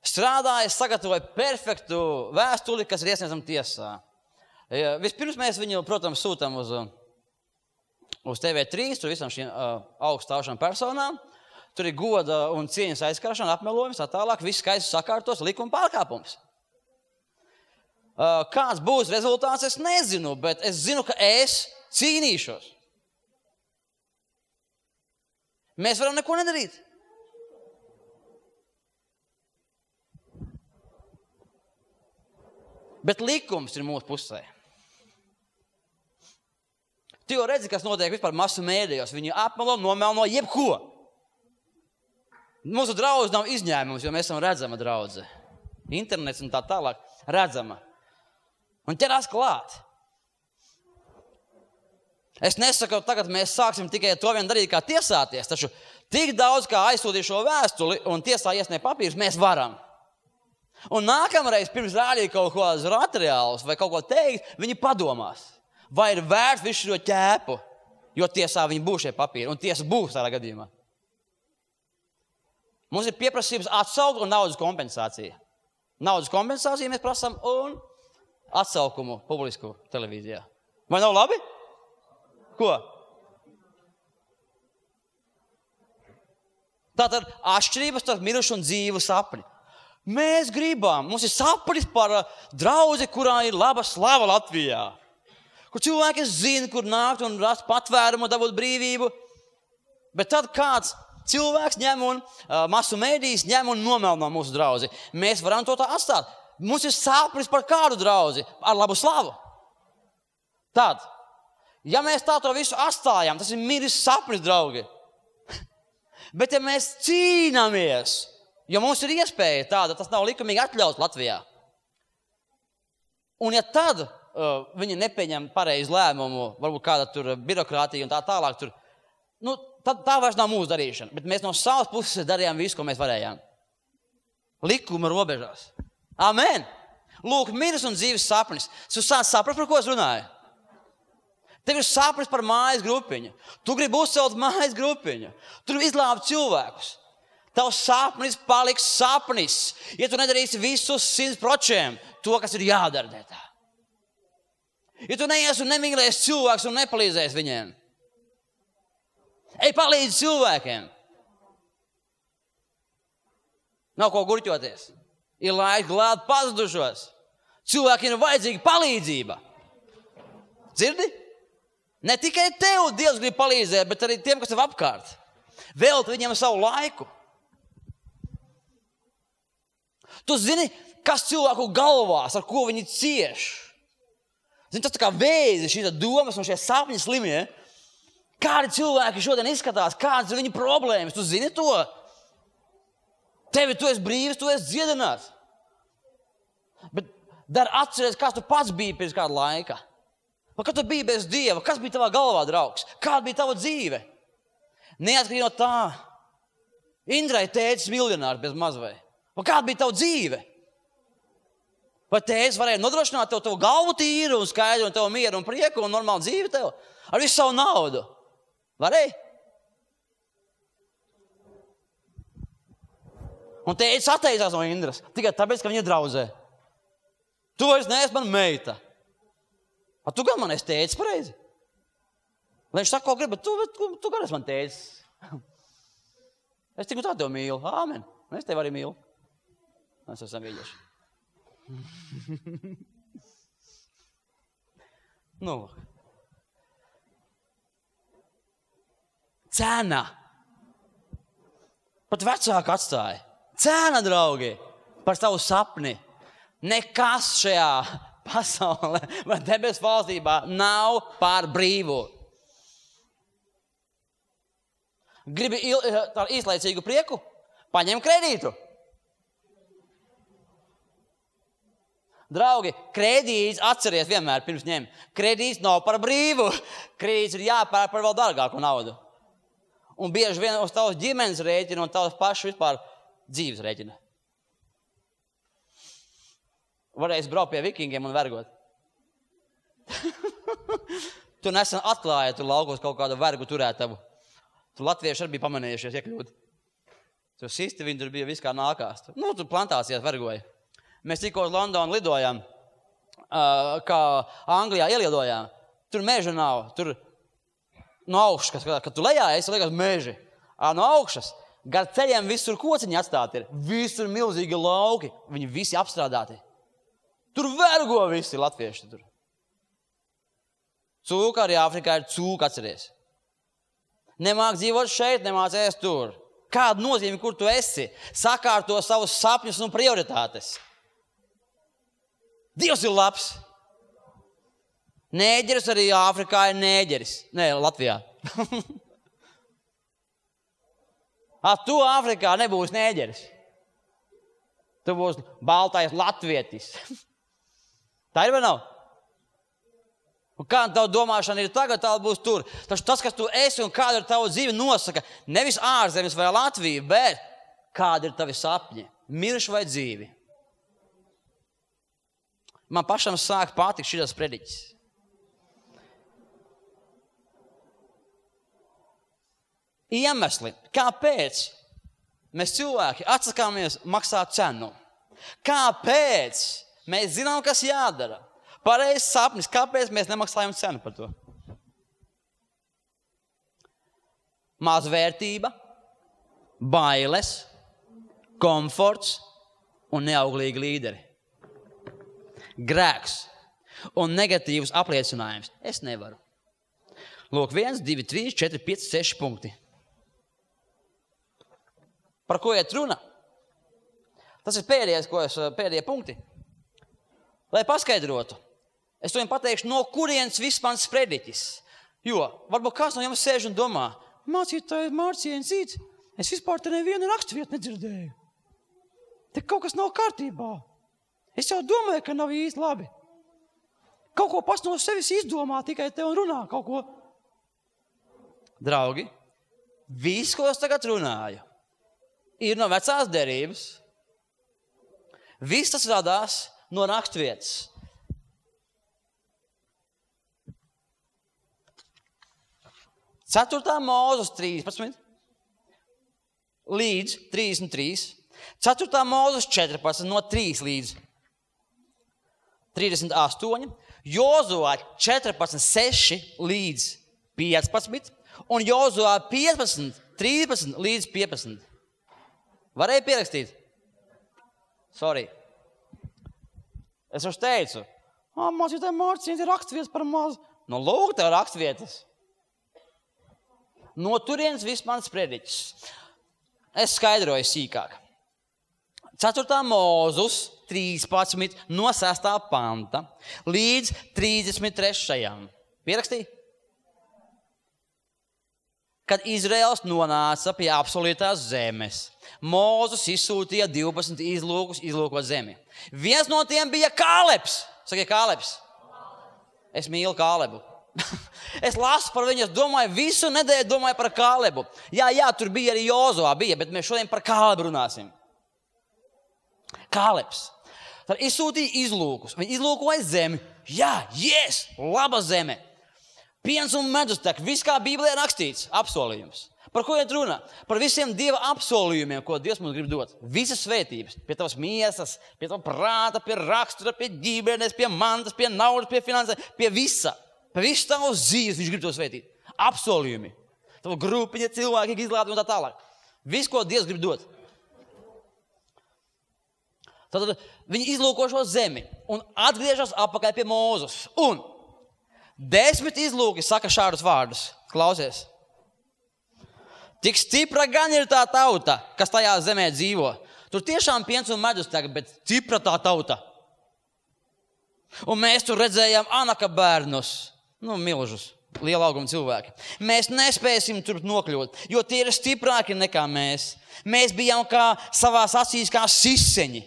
Strādāja, sagatavoja perfektu vēstuli, kas ir iesniedzama tiesā. Vispirms mēs viņu, protams, sūtam uz, uz T V trīs, tur visam šīm uh, augstāšām personām. Tur ir goda un cieņas aizkaršana, apmelojums, tā tālāk, viss skaisti sakārtos, likuma pārkāpums. Uh, kāds būs rezultāts, es nezinu, bet es zinu, ka es cīnīšos. Mēs varam neko nedarīt. Bet likums ir mūsu pusē. Tu jau redzi, kas notiek vispār masu mēdījos. Viņi apmelo, nomelno jebko. Mūsu draudze nav izņēmums, jo mēs esam redzama draudze. Internets un tā tālāk redzama. Un ķerās klāt. Es nesaku, tagad mēs sāksim tikai to vien darīt, kā tiesāties, taču tik daudz, kā aizsūtīt šo vēstuli un tiesā iesniegt papīrus, mēs varam. Un nākamreiz, pirms rādīt kaut kādus materiālus vai kaut ko teikt, viņi padomās, vai ir vērts visu šo ķēpu, jo tiesā viņi būs šie papīri, un tiesa būs tādā gadījumā. Mums ir pieprasības atsaukt un naudas kompensācija. Naudas kompensāciju mēs prasām un atsaukumu publisku televīzijā. Vai nav labi? Ko? Tātad atšķirības starp mirušu un dzīvu sapni. Mēs gribam, mums ir sapnis par draudzi, kurā ir laba slava Latvijā. Kur cilvēki zina, kur nākt un rast patvērumu, dabūt brīvību. Bet tad kāds cilvēks ņem un uh, masu mēdījis ņem un nomelno mūsu draudzi. Mēs varam to tā atstāt. Mums ir sapnis par kādu draudzi ar labu slavu. Tad, ja mēs tā to visu atstājam, tas ir miris sapnis, draugi. Bet ja mēs cīnāmies, jo mums ir iespēja tāda, tas nav likumīgi atļauts Latvijā. Un ja tad uh, viņi nepieņem pareizu lēmumu, varbūt kāda tur birokrātija un tā tālāk, tur, nu, tad tā vairs nav mūsu darīšana. Bet mēs no savas puses darījām visu, ko mēs varējām. Likuma robežās. Amen! Lūk, miris un dzīves sapnis. Tu sāc saprast, par ko es runāju? Tev ir sapnis par mājas grupiņu. Tu gribi uzcelt mājas grupiņu. Tu gribi izglābt cilvēkus. Tavs sapnis paliks sapnis, ja tu nedarīsi visus simt procentiem to, kas ir jādara tā. Ja tu neies un nemīlēsi cilvēkus un nepalīdzēsi viņiem. Ej, palīdzi cilvēkiem. Nav ko gurķoties. Ir laiks glābt pazudušos. Cilvēkiem ir vajadzīga palīdzība. Dzirdi? Ne tikai tev Dievs grib palīdzēt, bet arī tiem, kas tev apkārt. Velti viņiem savu laiku. Tu zini, kas cilvēku galvās, ar ko viņi cieš. Zini, tas tā kā vēzi, šī domas un šie sapņi slimie. Kādi cilvēki šodien izskatās, kādas ir viņu problēmas, tu zini to? Tevi, tu esi brīvs, tu esi dziedināts. Bet dar atceries, kas tu pats biji pirms kāda laika. Vai kad tu biji bez Dieva, kas bija tavā galvā, draugs? Kāda bija tava dzīve? Neatkarīgi no tā. Indrai tētis miljonārs bez mazvai. Vai kāda bija tava dzīve? Vai tētis varēja nodrošināt tev tavu galvu tīru un skaidru un tev mieru un prieku un normālu dzīvi tev? Ar visu savu naudu. Varēja? Un tētis atteicās no Indras. Tikai tāpēc, ka viņa draudzē. Tu vairs neesi man meita. A tu gan man esi tēcis pareizi. Lai viņš saka, ko grib, bet tu, tu, tu gan esi man tēcis. Es tikai tā tev mīlu. Āmen. Un es tev arī mīlu. Mēs esam vīļieši. Nu, cena. Pat vecāki atstāja. Cena, draugi, par savu sapni. Nekas šajā pasaulē vai debes valstībā nav par brīvu. Gribi il, tādu īslaicīgu prieku? Paņem kredītu. Draugi, kredīts, atceries vienmēr pirms ņem. Kredīts nav par brīvu. Kredīts ir jāpērk par vēl dārgāku naudu. Un bieži vien uz tavas ģimenes rēķina un tavas pašu vispār dzīves rēķina. Varēs braukt pie vikingiem un vergot. Tu nesen atklāji, tu laukos kaut kādu vergu turētavu. Tu latvieši arī bija pamanījušies iekļūt. Tu sisti, viņi tur bija viss kā nākās. Nu, tu plantācijās vergoja. Mēs tikko uz Londonu lidojām, kā Anglijā ielidojām. Tur meža nav. Tur no augšas, kad, kad tu lejā esi, liekas meži. No augšas, gar ceļiem visur kociņi atstāti ir. Visur milzīgi lauki. Viņi visi apstrādāti. Tur vergo visi latvieši. Tur. Cūka arī Āfrikā ir cūka, atceries. Nemāk dzīvot šeit, nemāc ēst tur. Kāda nozīme, kur tu esi? Sakārto savus sapņus un prioritātes. Dievs ir labs. Nēģeris arī Āfrikā ir nēģeris. Nē, Latvijā. A, tu Āfrikā nebūsi nēģeris. Tu būsi baltais latvietis. Tā ir vai nav? Un kāda tava domāšana ir tagad, tā būs tur. Taču tas, kas tu esi un kāda ir tava dzīve, nosaka nevis ārzemes vai Latvija, bet kāda ir tavi sapņi, mirši vai dzīvi. Man pašam sāk patikt šitas prediķis. Iemesli, kāpēc mēs cilvēki atsakāmies maksāt cenu? Kāpēc mēs zinām, kas jādara? Pareizs sapnis, kāpēc mēs nemaksājam cenu par to? Mazvērtība, bailes, komforts un neauglīgi līderi. Grēks un negatīvs apliecinājums. Es nevaru. Lūk, viens, divi, trīs, četri, pieci, seši punkti. Par ko iet runa? Tas ir pēdējais, ko es, pēdējie punkti. Lai paskaidrotu. Es to jums pateikšu, no kurienes viss mans prediķis. Jo, varbūt kāds no jums sēž un domā, mācītāji Mārciens, es vispār te nevienu raksturvietu nedzirdēju. Te kaut kas nav kārtībā. Es jau domāju, ka nav īsti labi. Kaut ko pats no sevis izdomā, tikai te un runā kaut ko. Draugi, viss, ko es tagad runāju, ir no vecās derības. Viss tas radās no raksturvietas. Ceturtā Mūzes trīspadsmit līdz trīsdesmit trīs. Ceturtā Mūzes četrpadsmit no trīs līdz trīsdesmit astoņi. Jozuā četrpadsmit seši līdz piecpadsmit. Un Jozuā piecpadsmit trīspadsmit līdz piecpadsmit. Varēja pierakstīt? Sorry. Es jau teicu, mācītāji Mārciens ir raksturvietas par mazu. Nu, lūk, tev raksturvietas. No turienes viss mans prediķis. Es skaidroju sīkāk. Ceturtā Mūzes trīspadsmit no sestā panta līdz trīsdesmit trešajam. Pierakstīja? Kad Izraels nonāca pie apsolītās zemes, Mūzes izsūtīja divpadsmit izlūkus izlūkot zemi. Viens no tiem bija Kālebs. Sakiet, Kālebs. Es mīlu Kālebu. Es lasu par viņu, es domāju, visu nedēļu domāju par Kālebu. Jā, jā, tur bija arī Jozuā, bija, bet mēs šodien par Kālebu runāsim. Kālebs. Tad izsūtīja izlūkus. Viņi izlūkoja zemi. Jā, yes, laba zeme. Piens un medus tek, viss kā Bībelē rakstīts, apsolījums. Par ko iet runa? Par visiem Dieva apsolījumiem, ko Dievs mums grib dot. Visas svētības. Pie tavas miesas, pie tava prāta, pie rakstura, pie ģimenes, pie mantas, pie naudas, pie finansēm, pie visa. Pie visu tavas dzīves viņš grib to svētīt. Apsolījumi. Tava grupiņa, cilvēki, izlādi un tā tālāk. Viss, ko Dievs grib dot. Tad viņi izlūko šo zemi un atgriežas apakaļ pie Mūzes. Un desmit izlūki saka šādus vārdus. Klausies. Tik stipra gan ir tā tauta, kas tajā zemē dzīvo. Tur tiešām piens un medus tagad, bet stipra tā tauta. Un mēs tur redzējām Anaka bērnus, nu, milžus, liela auguma cilvēki. Mēs nespēsim tur nokļūt, jo tie ir stiprāki nekā mēs. Mēs bijām kā savās acīs kā siseņi.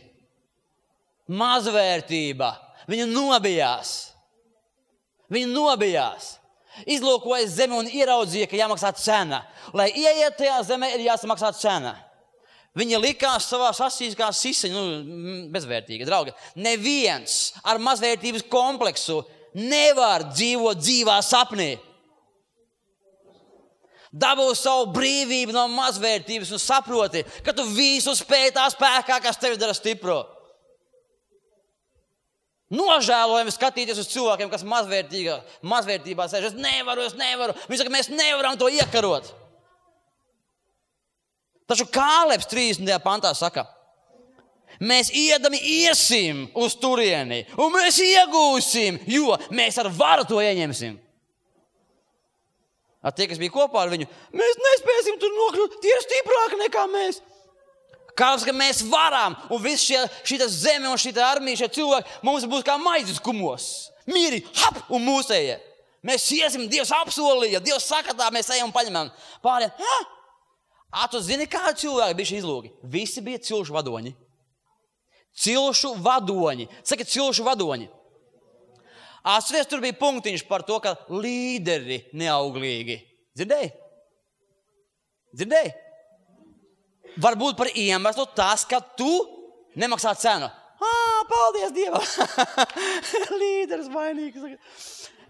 Mazvērtība. Viņi nobijās. Viņi nobijās. Izlūkoja zemi un ieraudzīja, ka jāmaksā cena. Lai ieiet tajā zemē, ir jāsamaksā cena. Viņi likās savās asīs kā siseņi, nu, bezvērtīgi, draugi. Neviens ar mazvērtības kompleksu nevar dzīvot dzīvā sapnī. Dabū savu brīvību no mazvērtības un saproti, ka tu visu spēj tā spēkā, kas tevi dara stipro. Nožēlojami skatīties uz cilvēkiem, kas mazvērtībā sēž. Es nevaru, es nevaru. Viņi saka, mēs nevaram to iekarot. Taču Kālebs trīsdesmitajā pantā saka, mēs iedami iesim uz turieni, un mēs iegūsim, jo mēs ar varu to ieņemsim. Ar tie, kas bija kopā ar viņu, mēs nespēsim tur nokļūt, tie ir stiprāki nekā mēs. Kāds, ka mēs varam, un viss šie, šī zeme un šī armija, šie cilvēki, mums būs kā maizes kumos. Mīri, hap, un mūsējie. Mēs iesim, Dievs apsolīja, Dievs saka tā, mēs ejam un paņemam. Pāriem, ha? A, tu zini, kādi cilvēki bija šī izlūgi? Visi bija cilšu vadoņi. Cilšu vadoņi. Saka, cilšu vadoņi. Atceries, tur bija punktiņš par to, ka līderi neauglīgi. Dzirdēji? Dzirdēji? Varbūt par iemeslu tas, ka tu nemaksā cenu. Ā, paldies Dievam! Līderis vainīgs.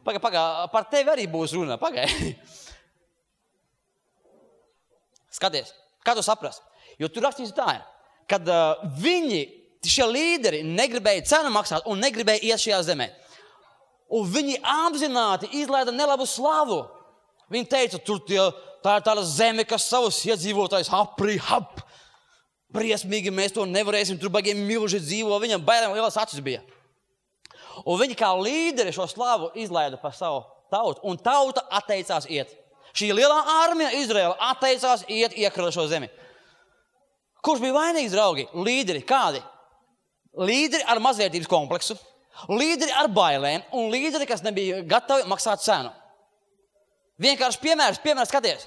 Pagai, pagai, par tevi arī būs runa. Pagai. Skaties, kā tu saprast? Jo tu rakstīsi tā, kad uh, viņi, šie līderi, negribēja cenu maksāt un negribēja iet šajā zemē. Un viņi apzināti izlaida nelabu slavu. Viņi teica, tur tie, tā ir tāda zeme, kas savus iedzīvotājus apri, hap. Briesmīgi mēs to nevarēsim, tur baigi milži dzīvo, viņam bailēm lielas acis bija. Un viņi kā līderi šo slavu izlaida par savu tautu, un tauta atteicās iet. Šī lielā armija Izraela atteicās iet iekarot šo zemi. Kurš bija vainīgs, draugi? Līderi. Kādi? Līderi ar mazvērtības kompleksu, līderi ar bailēm un līderi, kas nebija gatavi maksāt cenu. Vienkārši piemērs, piemērs skaties.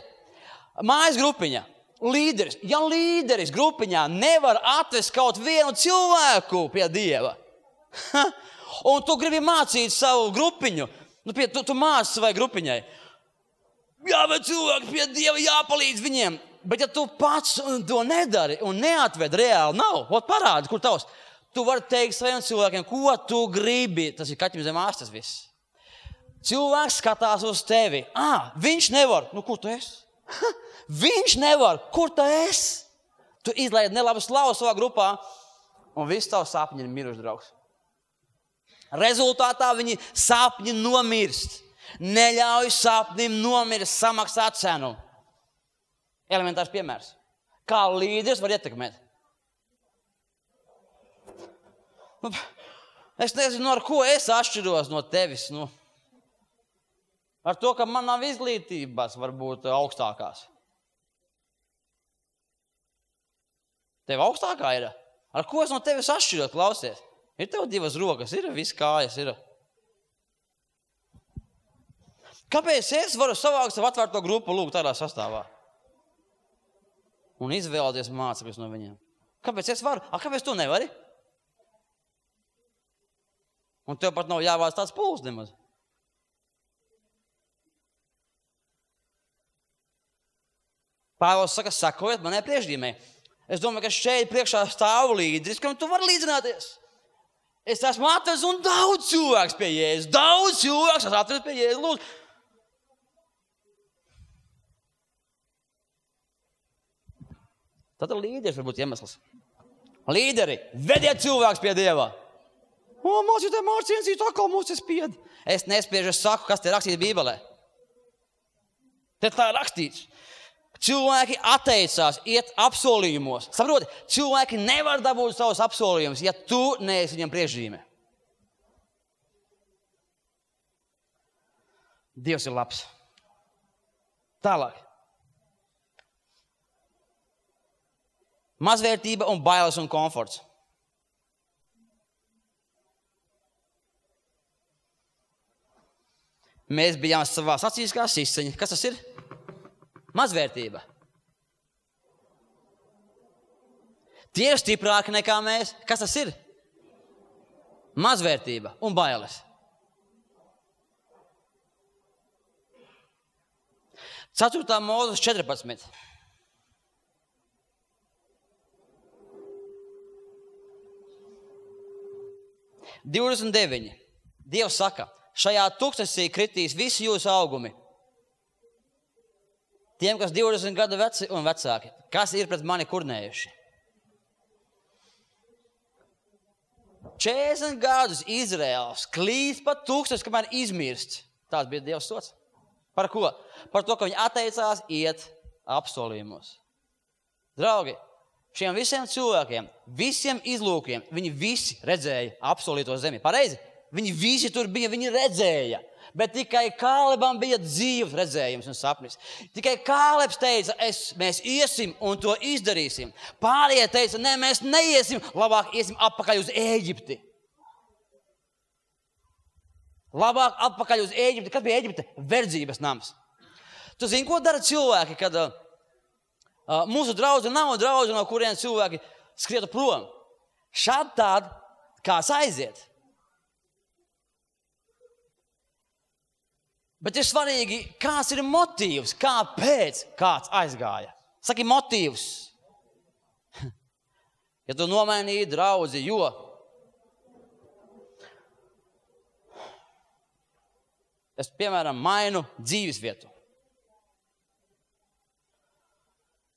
Mājas grupiņa, līderis. Ja līderis grupiņā nevar atvest kaut vienu cilvēku pie Dieva, un tu gribi mācīt savu grupiņu, nu, pie, tu, tu māci savai grupiņai, jāved cilvēki pie Dieva, jāpalīdz viņiem, bet ja tu pats to nedari un neatved reāli, nav, ot parādi, kur tavs, tu vari teikt saviem cilvēkiem, ko tu gribi, tas ir kaķim zem āstas viss. Cilvēks skatās uz tevi. Ā, viņš nevar. Nu, kur tu esi? Viņš nevar. Kur tu esi? Tu izlaidi nelabu slavu savā grupā, un viss tavs sapņi ir miruši, draugs. Rezultātā viņi sapņi nomirst. Neļauj sapnim nomirst, samaksāt cenu. Elementārs piemērs. Kā līderis var ietekmēt? Es nezinu, ar ko es atšķiros no tevis, nu. Ar to, ka man nav izglītības, varbūt augstākās. Tev augstākā ir? Ar ko es no tevis atšķirot, klausies? Ir tev divas rokas, ir viss kājas, ir. Kāpēc es varu savākt savu atvērto grupu lūgt tādā sastāvā? Un izvēlēties mācekļus no viņiem. Kāpēc es varu? A, kāpēc tu nevari? Un tev pat nav jāvāc tāds pūls nemaz. Pāvils saka, sakojiet manai priekšdīmē. Es domāju, ka šeit priekšā stāv līderis, kam tu vari līdzināties. Es esmu atvedis un daudz cilvēks pie Jēzus. Daudz cilvēks esmu atvedis pie Jēzus. Lūdzu. Tad līderis var būt iemesls. Līderi, vediet cilvēks pie Dieva. O, mācītāji, mārciensīt, atkal mūs ir spied. Es nespiežu, es saku, kas te rakstīts Bībelē. Te tā ir rakstīts. Cilvēki atteicās iet apsolījumos. Saproti, cilvēki nevar dabūt savus apsolījumus, ja tu neesi viņam priekšzīme. Dievs ir labs. Tālāk. Mazvērtība un bailes un komforts. Mēs bijām savās acīs kā siseņi. Kas tas ir? Mazvērtība. Tie ir stiprāki nekā mēs. Kas tas ir? Mazvērtība un bailes. ceturtā Mūzes četrpadsmit. divdesmit deviņi. Dievs saka, šajā tūkstnesī kritīs visi jūsu augumi. Tiem, kas divdesmit gadu veci un vecāki, kas ir pret mani kurnējuši. četrdesmit gadus Izraels klīst pa tūkstnes, kamēr izmirst. Tās bija Dievs sots. Par ko? Par to, ka viņi atteicās iet apsolījumos. Draugi, šiem visiem cilvēkiem, visiem izlūkiem, viņi visi redzēja apsolīto zemi. Pareizi? Viņi visi tur bija, viņi redzēja. Bet tikai Kālebam bija dzīves redzējums un sapnis. Tikai Kālebs teica, es, mēs iesim un to izdarīsim. Pārējie teica, ne, mēs neiesim, labāk iesim atpakaļ uz Ēģipti. Labāk atpakaļ uz Ēģipti. Kas bija Ēģipte? Verdzības nams. Tu zini, ko dara cilvēki, kad uh, mūsu draudze nav draudze, no kuriem cilvēki skrietu prom? Šādi tād, kāds aiziet. Bet ir svarīgi, kāds ir motīvs, kāpēc kāds aizgāja. Saki motīvs. Ja tu nomainīji draudzi, jo es, piemēram, mainu dzīvesvietu.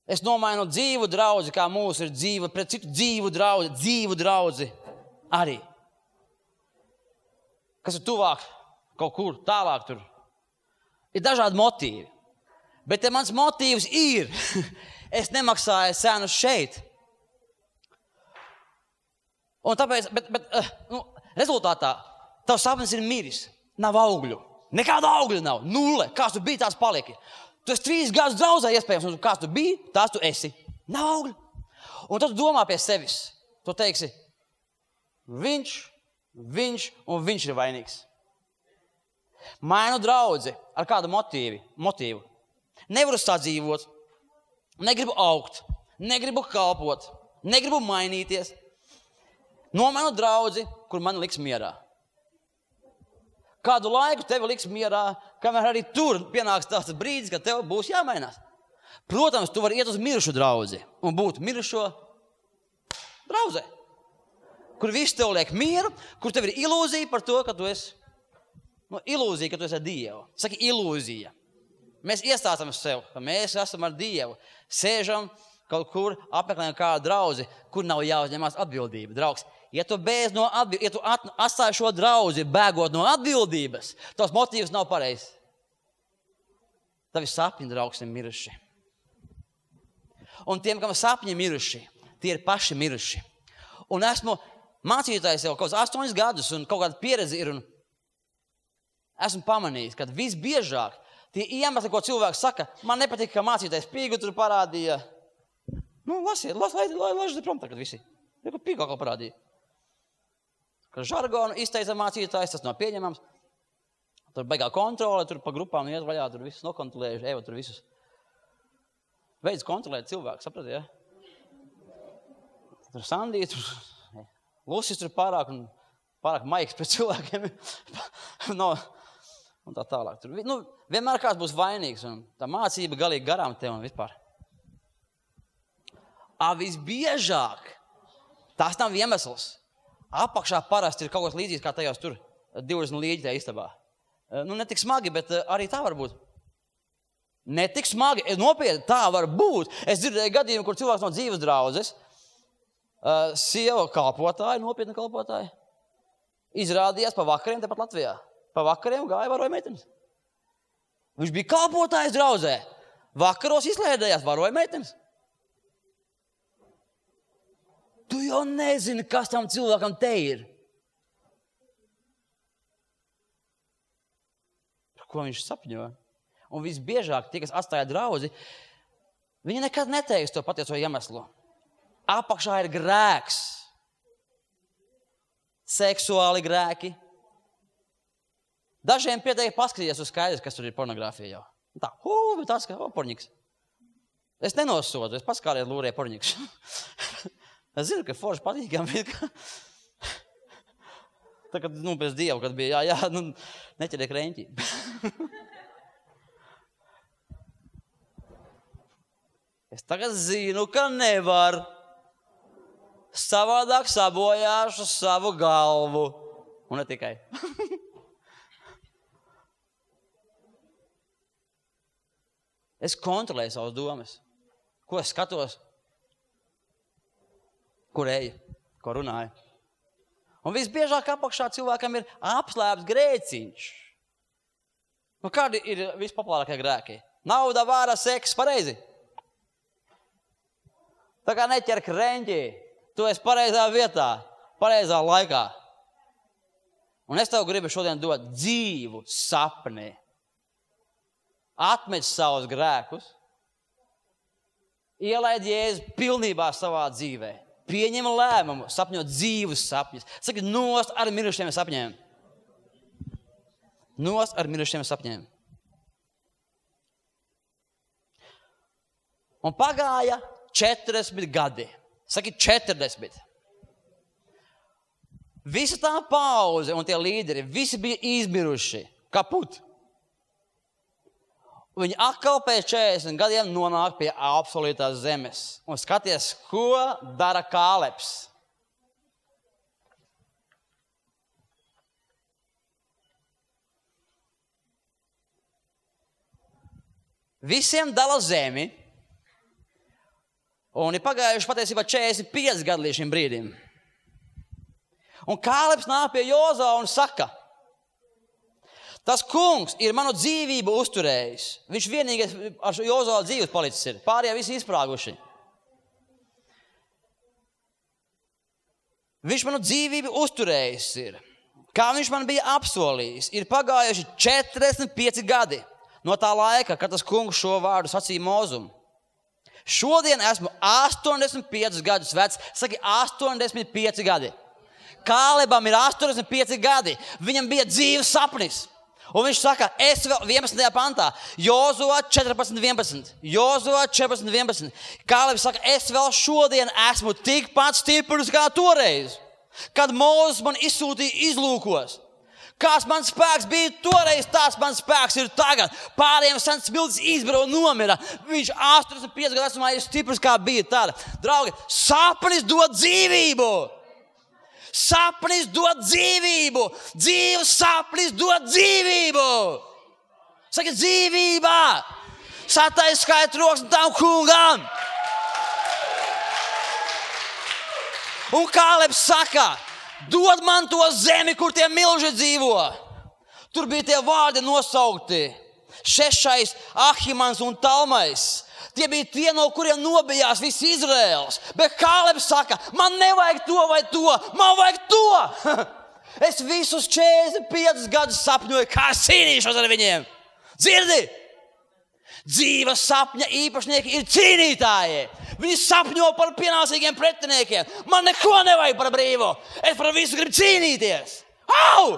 Es nomainu dzīvu draudzi, kā mūsu ir dzīva, pret citu dzīvu draudzi, dzīvu draudzi arī. Kas ir tuvāk, kaut kur tālāk tur. Ir dažādi motīvi. Bet te mans motīvs ir, es nemaksāju cenu šeit. Un tāpēc, bet, bet nu, rezultātā, tavs sapnis ir miris, nav augļu. Nekāda augļa nav, nulle. Kāds tu biji, tās paliki. Tu esi trīs gadus draudzē iespējams, un kāds tu biji, tās tu esi. Nav augļa. Un tad tu domā pie sevis. Tu teiksi, viņš, viņš un viņš ir vainīgs. Mainu draudzi ar kādu motīvi, motīvu. Nevaru sadzīvot, negribu augt, negribu kalpot, negribu mainīties. Nomainu draudzi, kur man liks mierā. Kādu laiku tevi liks mierā, kamēr arī tur pienāks tāds brīdis, kad tev būs jāmainās. Protams, tu vari iet uz mirušu draudzi un būt mirušo draudzē, kur viss tev liek mieru, kur tev ir ilūzija par to, ka tu esi, nu, ilūzija, ka tu esi ar Dievu. Saki ilūzija. Mēs iestāstam sev, ka mēs esam ar Dievu. Sēžam kaut kur, apmeklējam kādu draudzi, kur nav jāuzņemās atbildība. Draugs, ja tu bēdz no atbildības, ja tu at, atstāji šo draudzi, bēgot no atbildības, tavs motīvs nav pareizs. Tavi sapņi, draugs, ir miruši. Un tiem, kam sapņi miruši, tie ir paši miruši. Un esmu mācītājs jau kaut kādus astoņus gadus, un kaut kāda pieredze ir, un esmu pamanījis, ka visbiežāk tie iemesli, ko cilvēks saka, man nepatīk, ka mācītājs pīgu tur parādīja. Nu, lasiet, lasiet, lasiet prom tagad visi. Neko pīgu atkal parādīja. Ka žargonu izteica mācītājs, tas nav pieņemams. Tur beigā kontrole, tur pa grupām iet vaļā, tur visus nokontrolējuši, Eva tur visus. Veids kontrolēt cilvēku, saprati, ja? Tur Sandija, tur Lusis tur pārāk un pārāk maigs pret cilvēkiem. no, un tā tālāk. Tur, nu, vienmēr kāds būs vainīgs un tā mācība galīgi garām tev un vispār. A, visbiežāk, tās nav iemesls. Apakšā parasti ir kaut kas līdzīgs, kā tajos tur divdesmit līģi tajā istabā. Nu, ne tik smagi, bet arī tā var būt. Ne tik smagi, nopietni, tā var būt. Es dzirdēju gadījumu, kur cilvēks no dzīves draudzes, uh, sieva kalpotāja, nopietna kalpotāja, izrādījās pa vakariem tepat Latvijā. Pa vakariem gāja varoja meitenes. Viņš bija kalpotājs draudzē. Vakaros izlēdējās varoja meitenes. Tu jau nezini, kas tam cilvēkam te ir. Par ko viņš sapņo? Un visbiežāk tie, kas atstāja draudzi, viņi nekad neteiks to patieso iemeslu. Apakšā ir grēks. Seksuāli grēki. Dažiem pietiek paskatīties uz skaidrs, kas tur ir pornogrāfija jau. Tā, hū, bet tāds kā, o, porņiks. Es nenosodu, es paskāries lūrē porņiks. Es zinu, ka forši patīkam, bet ka... Tā, kad, nu, pēc Dievu, kad bija, jā, jā, nu, neķeriek reņķi. Es tagad zinu, ka nevar. Savādāk sabojāšu savu galvu. Un ne tikai. Es kontrolēju savas domas. Ko es skatos? Kur eju? Ko runāju? Un visbiežāk apakšā cilvēkam ir apslēpts grēciņš. Nu, kādi ir vispopulārākie grēki? Nauda, vāra, seks, pareizi? Tā kā neķer kreņķi, tu esi pareizā vietā, pareizā laikā. Un es tev gribu šodien dot dzīvu sapni. Atmet savus grēkus, ielaid Jēzu pilnībā savā dzīvē. Pieņem lēmumu, sapņot dzīvus sapņus. Saki, nost ar mirušiem sapņiem. Nost ar mirušiem sapņiem. Un pagāja četrdesmit gadi. Saki, četrdesmit. Visa tā pauze un tie līderi, visi bija izmiruši. Kaput. Viņi atkal pēc četrdesmit gadiem nonāk pie absolūtās zemes. Un skaties, ko dara Kālebs. Visiem dala zemi. Un ir pagājuši patiesībā četrdesmit pieci gadi līdz šim brīdim. Un Kālebs nāk pie Jozua un saka, tas kungs ir manu dzīvību uzturējis. Viņš vienīgais ar Jozua dzīves palicis ir. Pārējie visi izprāguši. Viņš manu dzīvību uzturējis ir. Kā viņš man bija apsolījis, ir pagājuši četrdesmit pieci gadi no tā laika, kad tas kungs šo vārdu sacīja Mozum. Šodien esmu astoņdesmit piecus gadus vecs. Saki, astoņdesmit pieci gadi. Kālebam ir astoņdesmit pieci gadi. Viņam bija dzīves sapnis. Un viņš saka, es vēl vienpadsmitajā pantā. Jozua četrpadsmit vienpadsmit. Jozua četrpadsmit vienpadsmit. Kālebs saka, es vēl šodien esmu tikpat stiprs kā toreiz, kad Mūzes man izsūtīja izlūkos. Kāds mans spēks bija toreiz, tāds mans spēks ir tagad. Pārējiem sens smiltis izbara un nomira. Viņš astoņdesmit pieci gadu vecumā ir stiprs, kā bija tāda. Draugi, sapnis dod dzīvību. Sapnis dod dzīvību. Dzīves sapnis dod dzīvību. Saka, dzīvībā. Satais skait rokas tam kungam. Un Kālebs saka, dod man to zemi, kur tie milži dzīvo. Tur bija tie vārdi nosaukti. Šešais, Ahimans un Talmais. Tie bija tie, no kuriem nobijās viss Izraels. Bet Kālebs saka, man nevajag to vai to, man vajag to. Es visus četrdesmit piecus gadus sapņoju, kā cīnīšos ar viņiem. Dzirdi? Dzīves sapņa īpašnieki ir cīnītāji. Viņi sapņo par pienācīgiem pretiniekiem. Man neko nevajag par brīvu. Es par visu gribu cīnīties. Au!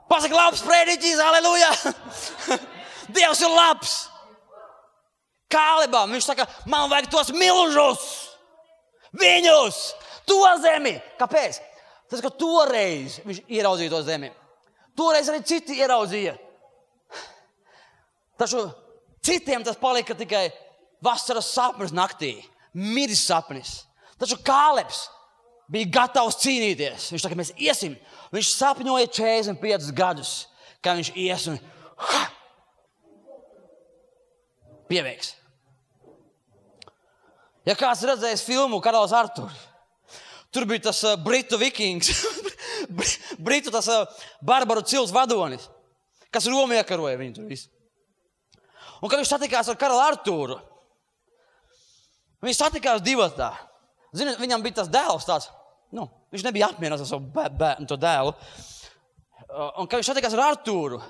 Pasaka labs prediķis, aleluja! Dievs ir labs! Kālebam, viņš saka, man vajag tos milžus! Viņus! To zemi! Kāpēc? Tas, ka toreiz viņš ieraudzīja to zemi. Toreiz arī citi ieraudzīja. Taču citiem tas palika tikai vasaras sapnis naktī, miris sapnis. Taču Kālebs bija gatavs cīnīties. Viņš saka, mēs iesim. Viņš sapņoja četrdesmit piecus gadus, kā viņš ies un... pieveiks. Ja kāds redzējis filmu Karalis Arturs, tur bija tas uh, britu vikings, britu tas uh, barbaru cils vadonis, kas Romu iekaroja viņu tur visu. Un kad viņš satikās ar Karali Arturu, viņi satikās divatā. Zini, viņam bija tas dēls tāds, nu, viņš nebija apmierināts ar savu bē, bē, to dēlu. Un kad viņš satikās ar Arturu,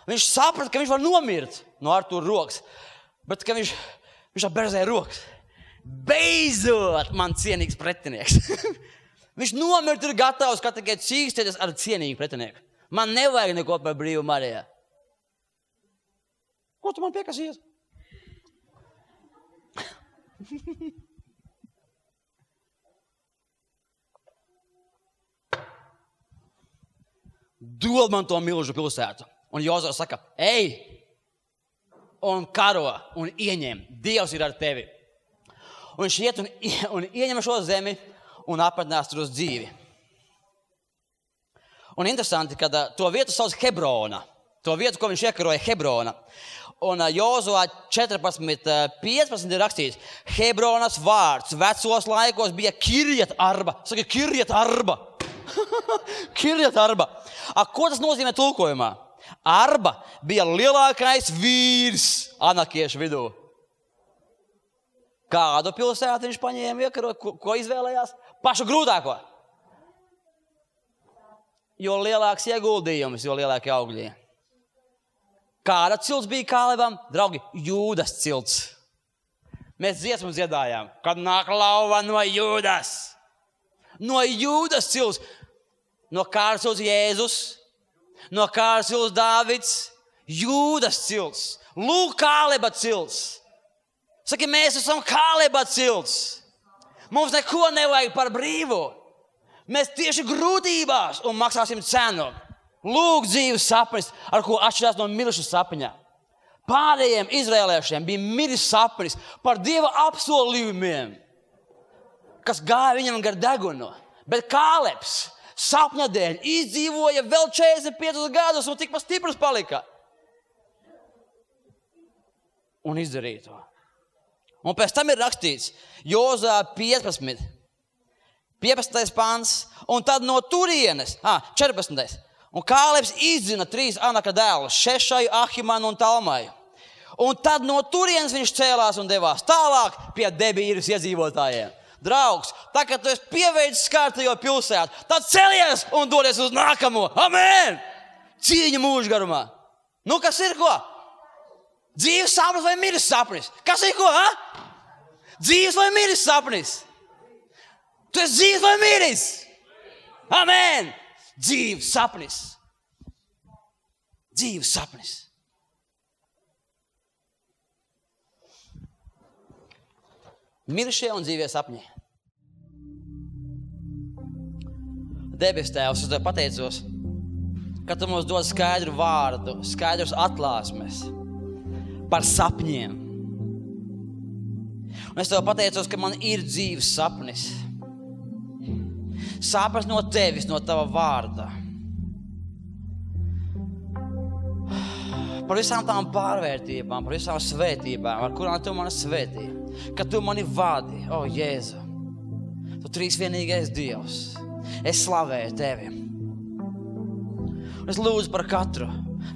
viņš saprata, ka viņš var nomirt no Artura rokas, bet ka viņš, viņš apberzēja rokas. Beidzot, man cienīgs pretinieks. Viņš nomirt ir gatavs, ka tikai cīkstieties ar cienīgu pretinieku. Man nevajag neko par brīvu Marijā. Ko tu man piekasies? Dod man to milžu pilsētu. Un Jozua saka, ej, un karo, un ieņem. Dievs ir ar tevi. Un viņš iet un, un ieņem šo zemi un apmetnās tur uz dzīvi. Un interesanti, ka to vietu sauc Hebrona. To vietu, ko viņš iekaroja, Hebrona. Un Jozua četrpadsmit piecpadsmit ir rakstīts, Hebronas vārds vecos laikos bija Kirjat Arba. Saka, Kirjat Arba. Kirjat Arba. A, ko tas nozīmē tulkojumā? Arba bija lielākais vīrs anakiešu vidū. Kādu pilsētu viņš paņēma iekarot, ko, ko izvēlējās? Pašu grūtāko. Jo lielāks ieguldījums, jo lielākie augļi. Kāda cilts bija Kālebam? Draugi, Jūdas cilts. Mēs dziesmu dziedājām, kad nāk lauva no Jūdas. No Jūdas cilts. No Kāras cilts Jēzus. No Kāras cilts Dāvids. Jūdas cilts. Lūk, Kāleba cilts. Saki, mēs esam Kāleba cilts. Mums neko nevajag par brīvu. Mēs tieši grūtībās un maksāsim cenu. Lūk, dzīves sapnis, ar ko atšķirās no miruša sapņa. Pārējiem izrēliešiem bija miris sapnis par Dieva apsolījumiem, kas gāja viņam gar degunu. Bet Kālebs sapņa dēļ izdzīvoja vēl četrdesmit piecus gadus un tikpat stiprs palika. Un izdarīja to. Un pēc tam ir rakstīts Jozua piecpadsmit, piecpadsmitais pants, un tad no turienes, ah, četrpadsmitais. Un Kālebs izdzina trīs Anaka dēlus, Šešaju, Ahimanu un Talmaju. Un tad no turienes viņš cēlās un devās tālāk pie Debīras iedzīvotājiem. Draugs, tā kā tu esi pieveicis kārtējo pilsētu, tad celies un dodies uz nākamo. Amen! Cīņa mūža garumā. Nu, kas ir ko? Dzīves sapnis vai miris sapnis? Kas ir ko, ha? Dzīves vai miris sapnis? Tu esi dzīves vai miris? Amen! Dzīves sapnis. Dzīves sapnis. Mirušie un dzīvie sapņi. Debes Tēvs, es tev pateicos, ka tu mums dod skaidru vārdu, skaidrus atklāsmes par sapņiem. Un es tev pateicos, ka man ir dzīves sapnis. Sapnis no tevis, no tava vārda. Par visām tām pārvērtībām, par visām svētībām, ar kurām tu mani svētī. Ka tu mani vadi, o Jēzu. Tu trīsvienīgais Dievs. Es slavēju tevi. Es lūdzu par katru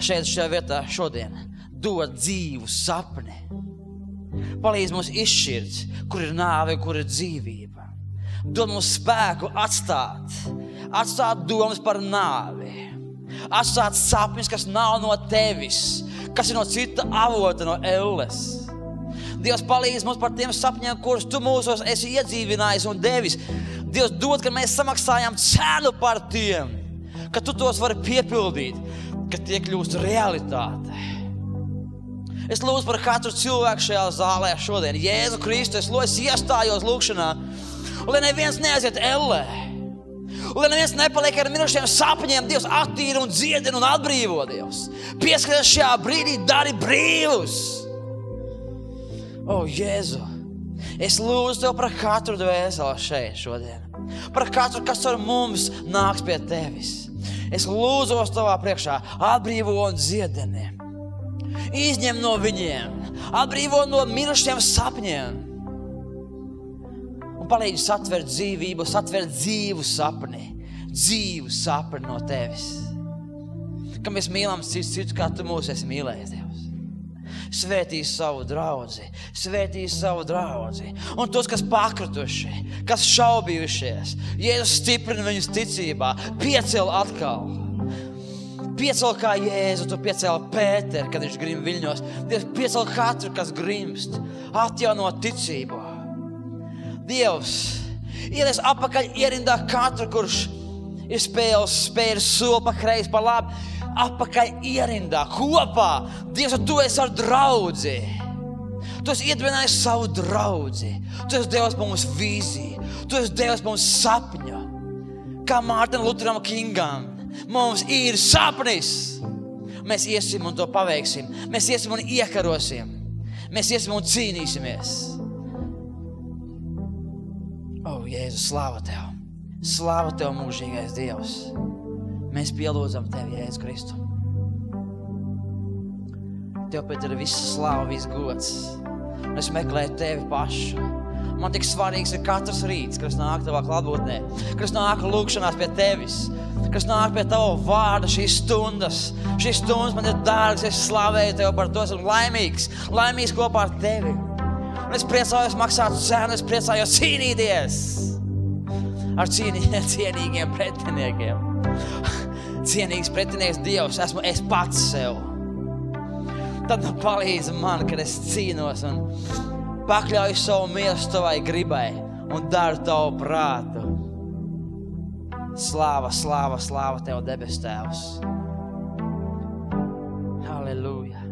šeit šajā vietā šodien. Dod dzīvu sapni. Palīdz mums izšķirt, kur ir nāve, kur ir dzīvība. Dod mums spēku atstāt. Atstāt domas par nāvi. Atstāt sapnis, kas nav no tevis. Kas ir no cita avota, no elles. Dievs palīdz mums par tiem sapņiem, kurus tu mūsos esi iedzīvinājis un devis. Dievs dod, ka mēs samaksājām cenu par tiem, ka tu tos vari piepildīt, ka tie kļūst realitāte. Es lūdzu par katru cilvēku šajā zālē šodien. Jēzu Kristu, es lūdzu, es iestājos lūkšanā, un lai neviens neaiziet ellē. Un lai neviens nepaliek ar mirušiem sapņiem, Dievs attīra un dziedina un atbrīvo, Dievs. Pieskaties šajā brīdī, dari brīvus. O, Jēzu, es lūdzu tev par katru dvēseli šeit šodien. Par katru, kas ar mums nāks pie tevis. Es lūdzos tavā priekšā, atbrīvo un dziedini. Izņem no viņiem Atbrīvo no mirušiem sapņiem. Un palīdzi satvert dzīvību, satvert dzīvu sapni. Dzīvu sapni no tevis. Ka mēs mīlam cits citu, kā tu mūs esi mīlējis, Dievs. Svētī savu draudzi, svētī savu draudzi. Un tos, kas pakrituši, kas šaubījušies, Jēzus stiprina viņus ticībā, piecel atkal. Piecel kā Jēzu, tu piecel Pēteru, kad viņš grim viļņos. Dievs, piecel katru, kas grimst, atjauno ticību. Dievs, ielies apakaļ ierindā katru, kurš ir spēles, spēles soli pa kreisi, pa labi, apakaļ ierindā, kopā. Dievs, tu esi ar draudzi. Tu esi iedibinājis savu draudzi. Tu esi Dievs pa mums vīziju. Tu esi Dievs pa mums sapņu. Kā Mārtiņam Luteram Kingam. Mums ir sapnis. Mēs iesim un to paveiksim. Mēs iesim un iekarosim. Mēs iesim un cīnīsimies. O, Jēzus, slāva Tev. Slāva Tev, mūžīgais Dievs. Mēs pielūdzam Tevi, Jēzus Kristu. Tev pēc ir viss slāva, viss gods. Es meklēju Tevi pašu. Man tik svarīgs ir katrs rīts, kas nāk Tavā klātbūtnē, kas nāk lūkšanās pie Tevis, kas nāk pie Tava vārda šīs stundas. Šīs stundas man ir dārgs, es slavēju Tev par to, esmu laimīgs, laimīgs kopā ar Tevi. Un es priecājos maksāt cenu, es priecājos cīnīties ar cīnī, cienīgiem pretiniekiem. Cienīgs pretinieks Dievs, esmu es pats sev. Tad nu palīdzi man, kad es cīnos un pakļauju savu miesu Tavai gribai un daru Tavu prātu. Slāva, slāva, slāva Tev, debes Tēvs. Halleluja.